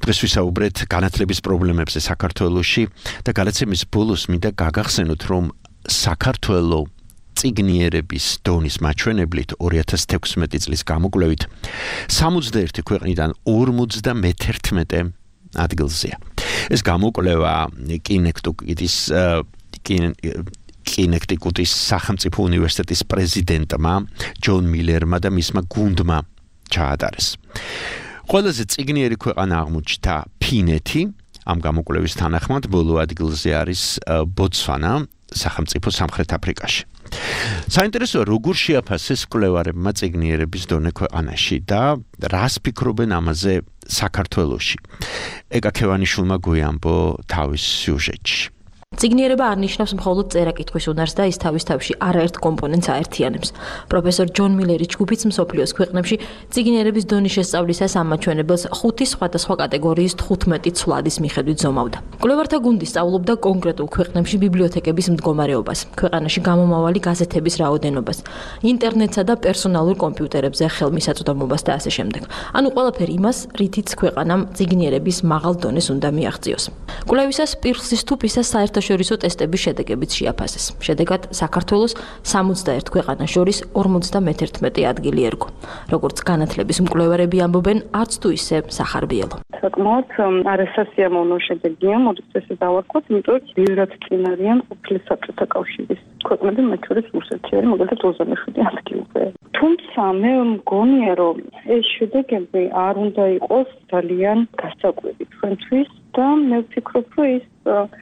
D: დღეს ვისაუბრეთ განათლების პრობლემებზე საქართველოში და განაცემის ბოლოს მინდა გაგახსენოთ, რომ საქართველოს წიგნიერების დონის მაჩვენებლით 2016 წლის გამოკვლევით 61 ქვეყნიდან 51 ადგილზეა. ეს გამოკვლევა კინექტიკუტის სახელმწიფო უნივერსიტეტის პრეზიდენტმა ჯონ მილერმა და მისმა გუნდმა ჩაატარეს. ყველაზე წიგნიერი ქვეყანა აღმოჩნდა ფინეთი, ამ გამოკვლევის თანახმად ბოლო ადგილზე არის ბოტსვანა, სახელმწიფო სამხრეთ აფრიკაში. საინტერესოა, როგორ შეაფასეს კვლევარებმა წიგნიერების დონე ქვეყანაში და რას ფიქრობენ ამაზე საქართველოში. ეკა ქევანიშვილმა გვიამბო თავის სიუჟეტში.
K: წიგნიერება არ ნიშნავს მხოლოდ წერა-კითხვის უნარს და ის თავის თავში არაერთ კომპონენტს აერთიანებს. პროფესორ ჯონ მილერის ჯგუფიც მსოფლიოს ქვეყნებში წიგნიერების დონის შესწავლისას ამ მაჩვენებელს 5 სხვადასხვა კატეგორიის 15 ცვლადის მიხედვით ზომავდა. კვლევართა გუნდი სწავლობდა კონკრეტულ ქვეყნებში ბიბლიოთეკების მდგომარეობას, ქვეყანაში გამომავალი გაზეთების რაოდენობას, ინტერნეტსა და პერსონალურ კომპიუტერებზე ხელმისაწვდომობას და ასე შემდეგ. ანუ ყველაფერი იმას, რითიც ქვეყანამ წიგნიერების მაღალ დონეს უნდა მიაღწიოს. კვლევისას პირხსის თუ ფისას საერთაშორისო ტესტების შედეგებიც შეაფასეს. შედეგად საქართველოს 61 ქვეყანას შორის 51 ადგილი ერგო. როგორც განათლების მკვლევარები ამბობენ, არც თუ ისე სახარბიელო.
L: საკმაოდ არასასიამოვნო შედეგია, მოდით ესე დავარქვათ, იმიტომ რომ ბევრად წინ არიან ყოფილი საბჭოთა კავშირის ქვეყნები, მათ შორის რუსეთი არის მაგალითად 27 ადგილზე. თუმცა მე მგონია, რომ ეს შედეგები არ უნდა იყოს ძალიან გასაკვირი ჩვენთვის და მე ვფიქრობ, რომ ის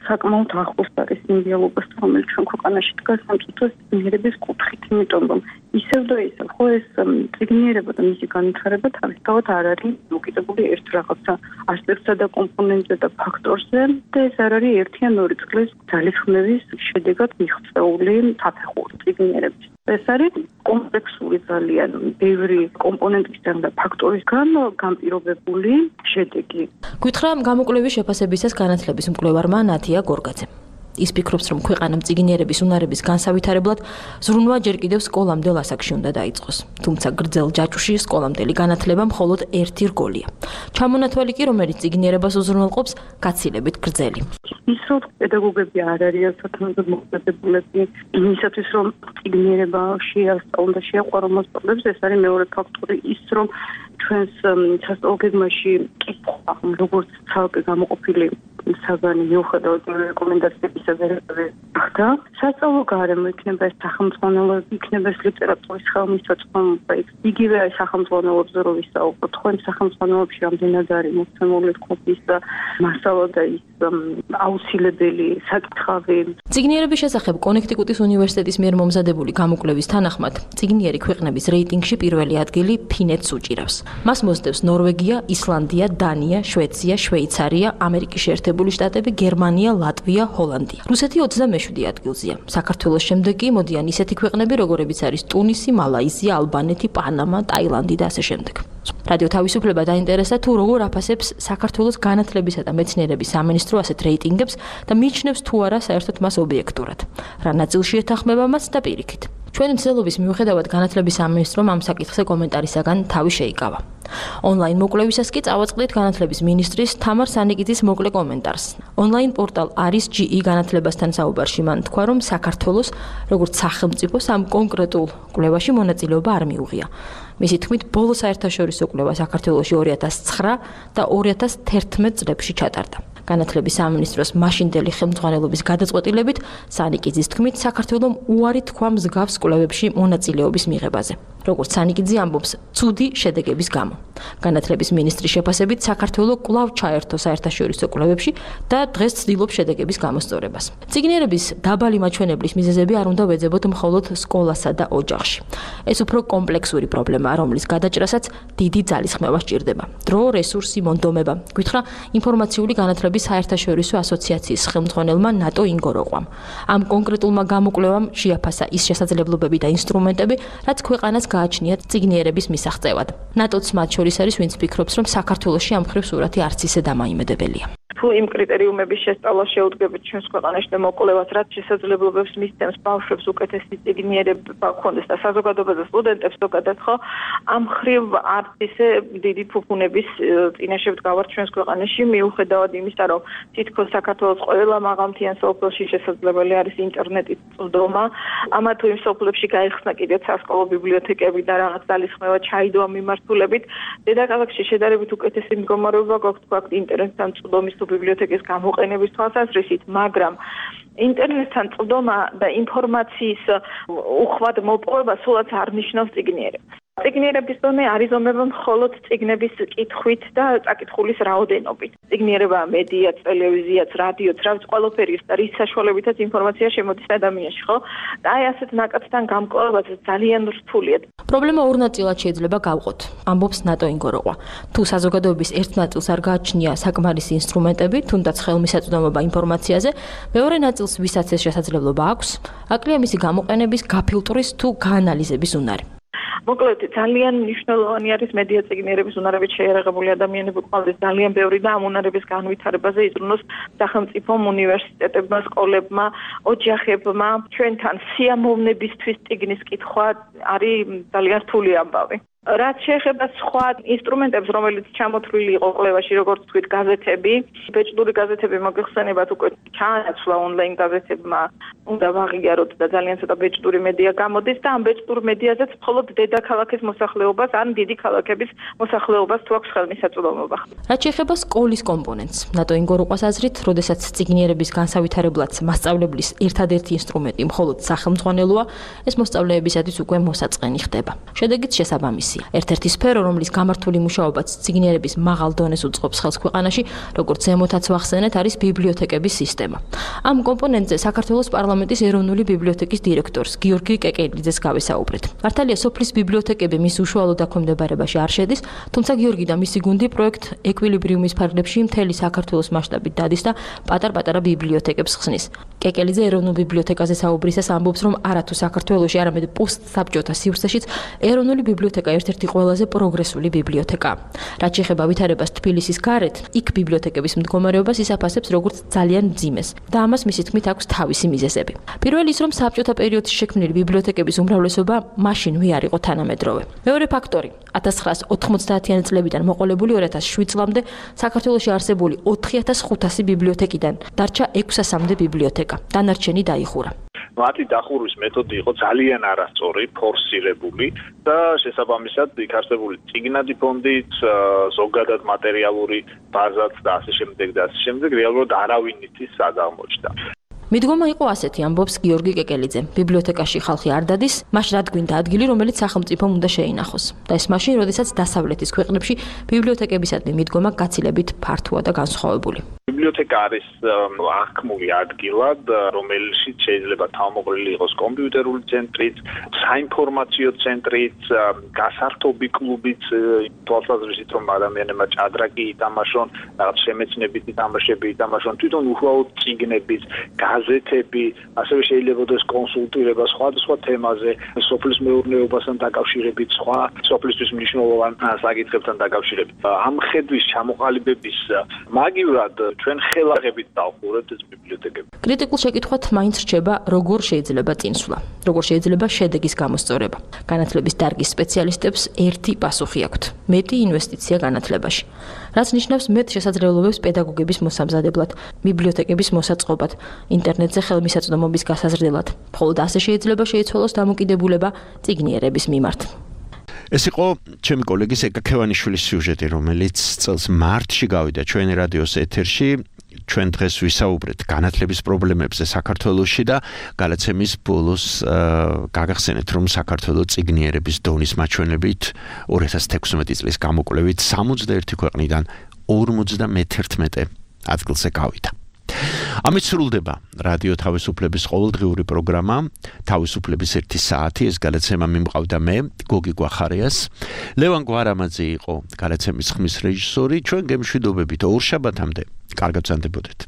L: საკმაოდ ახლოს არის იმ რეალობასთან, რომელიც ჩვენ ქვეყანაში დგას სამწუთოს წიგნიერების კუთხით, იმიტომ რომ ისევ და ისევ ხო ეს წიგნიერება და მისი განვითარება თავისთავად არ არის მოკიდებული ერთ რაღაცა ასპექტსა და კომპონენტზე და ფაქტორზე და ეს არ არის ერთიან ორი წყლის ძალისხმევის შედეგად მიღწეული საფეხური წიგნიერების. ეს არის კომპლექსური ძალიან ბევრი კომპონენტისგან და ფაქტორისგან განპირობებული შედეგი.
K: გითხრა გამოკვლევის შეფასებისას განათლების მკვლევარმა ნათია გორგაძემ. ის ფიქრობს, რომ ქვეყანამ წიგნიერების უნარების განსავითარებლად ზრუნვა ჯერ კიდევ სკოლამდელ ასაკში უნდა დაიწყოს. თუმცა გრძელ ჯაჭვში სკოლამდელი განათლება მხოლოდ ერთი რგოლია. ჩამონათვალი კი, რომელიც წიგნიერებას უზრუნველყოფს, გაცილებით გრძელი.
L: ის რომ პედაგოგები არ არიან საკმაოდ მოხდებულები იმისათვის, რომ წიგნიერება შეასწავლონ და შეაყვარონ მოსწავლეებს, ეს არის მეორე ფაქტორი. ის რომ ჩვენს სასწავლო გეგმაში კითხვა, როგორც ცალკე გამოყოფილი საგანი მიუხედავად რეკომენდაციებისა და სასწავლო გარემო იქნება ეს სახელმძღვანელოები, იქნება ეს ლიტერატურის ხელმისაწვდომობა, იგივე სახელმძღვანელოებზე რო ვისაუბროთ, ხო იმ სახელმძღვანელოებში რამდენად არის მოცემული თქობის და მასალა და ის აუცილებელი საკითხავი.
K: წიგნიერების შესახებ კონექტიკუტის უნივერსიტეტის მიერ მომზადებული გამოკვლევის თანახმად, წიგნიერი ქვეყნების რეიტინგში პირველი ადგილი ფინეთს უჭირავს. მას მოსდევს ნორვეგია, ისლანდია, დანია, შვეიცარია, შვეიცარია, ამერიკის შეერთებული შტატები, გერმანია, ლატვია, ჰოლანდია. რუსეთი 27 ადგილზეა. საქართველოს შემდეგ კი მოდიან ისეთი ქვეყნები, როგორებიც არის ტუნისი, მალაიზია, ალბანეთი, პანამა, ტაილანდი და ასე შემდეგ. რადიო თავისუფლება დაინტერესდა თუ როგორ აფასებს საქართველოს განათლებისა და მეცნიერების სამინისტრო ასეთ რეიტინგებს და მიიჩნევს თუ არა საერთოდ მას ობიექტურად. რა ნაწილში ეთანხმება მას და პირიქით. ჩვენი მცდელობის მიუხედავად განათლების სამინისტრომ ამ საკითხზე კომენტარისაგან თავი შეიკავა. ონლაინ მოკვლევისას კი წავაწყდით განათლების მინისტრის თამარ სანიკიძის მოკლე კომენტარს. ონლაინ პორტალ არის GE განათლებასთან საუბარში მან თქვა, რომ საქართველოს როგორც სახელმწიფოს ამ კონკრეტულ კვლევაში მონაწილეობა არ მიუღია. მისი თქმით, ბოლო საერთაშორისო კვლევა საქართველოში 2009 და 2011 წლებში ჩატარდა. განათლების სამინისტროს მაშინდელი ხელმძღვანელობის გადაწყვეტილებით სანიკიძის თქმით, საქართველომ უარი თქვა მსგავს კვლევებში მონაწილეობის მიღებაზე. როგორც სანიკიძე ამბობს, ცუდი შედეგების გამო. განათლების მინისტრის შეფასებით, საქართველო კვლავ ჩაერთო საერთაშორისო კვლევებში და დღეს ცდილობს შედეგების გამოსწორებას. წიგნიერების დაბალი მაჩვენებლის მიზეზები არ უნდა ვეძებოთ მხოლოდ სკოლასა და ოჯახში. ეს უფრო კომპლექსური პრობლემაა, რომლის გადაჭრასაც დიდი ძალისხმევა სჭირდება. დრო, რესურსი, მონდომება. გითხრა ინფორმაციული განათლების საერთაშორისო ასოციაციის ხელმძღვანელმა ნატო ინგოროყვამ. ამ კონკრეტულმა გამოკვლევამ შეაფასა ის შესაძლებლობები და ინსტრუმენტები, რაც ქვეყანას გააჩნიათ წიგნიერების მისაღწევად. ნატოც მათ შორის არის, ვინც ფიქრობს, რომ საქართველოში ამ მხრივ სურათი არც ისე დამაიმედებელია.
L: თუ იმ კრიტერიუმების შესწავლა შეუდგებით ჩვენს ქვეყანაში და მოკვლევას, რაც შესაძლებლობებს მისცემს ბავშვებს უკეთესი წიგნიერება ჰქონდეს და საზოგადოებაზე სტუდენტებს ზოგადად ხო ამ ხრივ არც ისე დიდი ფუფუნების წინაშე ვდგავართ ჩვენს ქვეყანაში, მიუხედავად იმისა, რომ თითქოს საქართველოს ყველა მაღალმთიან სოფელში შესაძლებელი არის ინტერნეტის წვდომა, ამა თუ იმ სოფლებში გაიხსნა კიდევ სასკოლო ბიბლიოთეკები და რაღაც ძალისხმევა ჩაიდოა მიმართულებით, დედაქალაქში შედარებით უკეთესი მდგომარეობა გვაქვს ინტერნეტთან წვდომის თუ ბიბლიოთეკის გამოყენების თვალსაზრისით, მაგრამ ინტერნეტთან წვდომა და ინფორმაციის უხვად მოპოვება სულაც არ ნიშნავს წიგნიერებას. წიგნიერების დონე არიზომება მხოლოდ წიგნების კითხვით და წაკითხulis რაოდენობით. წიგნიერება მედიაც, ტელევიზიაც, რადიოც, რაც ყველაფერი და რის საშუალებითაც ინფორმაცია შემოდის ადამიანში, ხო? და აი ასეთ ნაკადთან გამკვლევაც ძალიან რთულია.
K: პრობლემა ორ ნაწილად შეიძლება გავყოთ. ამბობს ნატო ინგოროყვა. თუ საზოგადოების ერთ ნაწილს არ გააჩნია საკმარისი ინსტრუმენტები, თუნდაც ხელმისაწვდომობა ინფორმაციაზე, მეორე ნაწილს ვისაც ეს შესაძლებლობა აქვს, აკლია მისი გამოყენების, გაფილტვრის თუ გაანალიზების უნარი.
L: მოკლედ ძალიან მნიშვნელოვანი არის მედია წიგნიერების უნარებით შეიარაღებული ადამიანები ყავდეს ძალიან ბევრი და ამ უნარების განვითარებაზე იზრუნოს სახელმწიფომ, უნივერსიტეტებმა, სკოლებმა, ოჯახებმა. ჩვენთან სიამოვნებისთვის წიგნის კითხვა არის ძალიან რთული ამბავი. რაც შეეხება სხვა ინსტრუმენტებს, რომელიც ჩამოთვლილი იყო კვლევაში, როგორც თქვით, გაზეთები, ბეჭდური გაზეთები მოგეხსენებათ უკვე ჩაანაცვლა ონლაინ გაზეთებმა, უნდა ვაღიაროთ და ძალიან ცოტა ბეჭდური მედია გამოდის და ამ ბეჭდურ მედიაზეც მხოლოდ დედაქალაქის მოსახლეობას ან დიდი ქალაქების მოსახლეობას თუ აქვს ხელმისაწვდომობა.
K: რაც შეეხება სკოლის კომპონენტს, ნატო ინგოროყვას აზრით, როდესაც წიგნიერების განსავითარებლად მასწავლებლის ერთადერთი ინსტრუმენტი მხოლოდ სახელმძღვანელოა, ეს მოსწავლეებისათვის უკვე მოსაწყენი ხდება. შედეგიც შესაბამისი. ერთ-ერთი სფერო, რომლის გამართული მუშაობაც წიგნიერების მაღალ დონეს უწყობს ხელს ქვეყანაში, როგორც ზემოთაც ვახსენეთ, არის ბიბლიოთეკების სისტემა. ამ კომპონენტზე საქართველოს პარლამენტის ეროვნული ბიბლიოთეკის დირექტორს გიორგი კეკელიძეს გავესაუბრეთ. მართალია, სოფლის ბიბლიოთეკები მის უშუალო დაქვემდებარებაში არ შედის, თუმცა გიორგი და მისი გუნდი პროექტ ეკვილიბრიუმის ფარგლებში მთელი საქართველოს მასშტაბით დადის და პატარ-პატარა ბიბლიოთეკებს ხსნის. კეკელიძე ეროვნულ ბიბლიოთეკაზე საუბრისას ამბობს, რომ არათუ საქართველოში, არამედ პოსტსაბჭოთა სივრცეშიც ეროვნული ბიბლიოთეკა ერთ-ერთი ყველაზე პროგრესული ბიბლიოთეკაა. რაც შეეხება ვითარებას თბილისის გარეთ, იქ ბიბლიოთეკების მდგომარეობას ისაფასებს როგორც ძალიან მძიმეს და ამას მისი თქმით აქვს თავისი მიზეზები. პირველი ის, რომ საბჭოთა პერიოდში შექმნილი ბიბლიოთეკების უმრავლესობა მაშინვე არ იყო თანამედროვე. მეორე ფაქტორი, 1990-იანი წლებიდან მოყოლებული 2007 წლამდე საქართველოში არსებული 4500 ბიბლიოთეკიდან დარჩა 600-მდე ბიბლიოთეკა. დანარჩენი დაიხურა.
M: მათი დახურვის მეთოდი იყო ძალიან არასწორი, ფორსირებული და შესაბამისად იქ არსებული წიგნადი ფონდით, ზოგადად მატერიალური ბაზაც და ასე შემდეგ რეალურად არავინ იცის სად აღმოჩნდა.
K: მიდგომა იყო ასეთი, ამბობს გიორგი კეკელიძე. ბიბლიოთეკაში ხალხი არ დადის, მაშ რა გვინდა ადგილი, რომელიც სახელმწიფომ უნდა შეინახოს. და ეს მაშინ, როდესაც დასავლეთის ქვეყნებში ბიბლიოთეკებისადმი მიდგომა გაცილებით ფართოა და განსხვავებული.
M: ბიბლიოთეკა არის აღქმული ადგილად, რომელშიც შეიძლება თავმოყრილი იყოს კომპიუტერული ცენტრიც, საინფორმაციო ცენტრიც, გასართობი კლუბიც, თვალსაზრისით რომ ადამიანებმა ჭადრაკი ითამაშონ, რაღაც შემეცნებითი თამაშები ითამაშონ, თვითონ უახლოოდ წიგნებიც, გაზეთები, ასევე შეიძლება იყოს კონსულტირება სხვადასხვა თემაზე, სოფლის მეურნეობასთან დაკავშირებით, სხვა სოფლისთვის მნიშვნელოვან საკითხებთან დაკავშირებით. ამ ხედვის ჩამოყალიბების მაგივრად ჩვენ ხელაღებით დავხურებთ ეს ბიბლიოთეკები.
K: კრიტიკულ შეკითხვათ მაინც რჩება, როგორ შეიძლება წინსვლა, როგორ შეიძლება შედეგის გამოსწორება. განათლების დარგის სპეციალისტებს ერთი პასუხი აქვთ: მეტი ინვესტიცია განათლებაში. რაც ნიშნავს მეტ შესაძლებლობებს პედაგოგების მოსამზადებლად, ბიბლიოთეკების მოსაწყობად, ინტერნეტზე ხელმისაწვდომობის გასაზრდელად. მხოლოდ ასე შეიძლება შეიცვალოს დამოკიდებულება წიგნიერების მიმართ.
D: ეს იყო ჩემი კოლეგის ეკა ქევანიშვილის სიუჟეტი, რომელიც წელს მარტში გავიდა ჩვენ რადიოს ეთერში. ჩვენ დღეს ვისაუბრეთ განათლების პრობლემებზე საქართველოში და გადაცემის ბოლოს გაგახსენეთ, რომ საქართველოს წიგნიერების დონის მაჩვენებლით 2016 წლის გამოკვლევით 61 ქვეყნიდან 51 ადგილზე გავიდა. ამით სრულდება რადიო თავისუფლების ყოველდღიური პროგრამა თავისუფლების 1 საათი. ეს გადაცემა მიმყავდა მე, გოგი გვახარიას. ლევან გვარამაძე იყო გადაცემის ხმის რეჟისორი. ჩვენ გემშვიდობებით ორ შაბათამდე. კარგად ვზანდებოდეთ.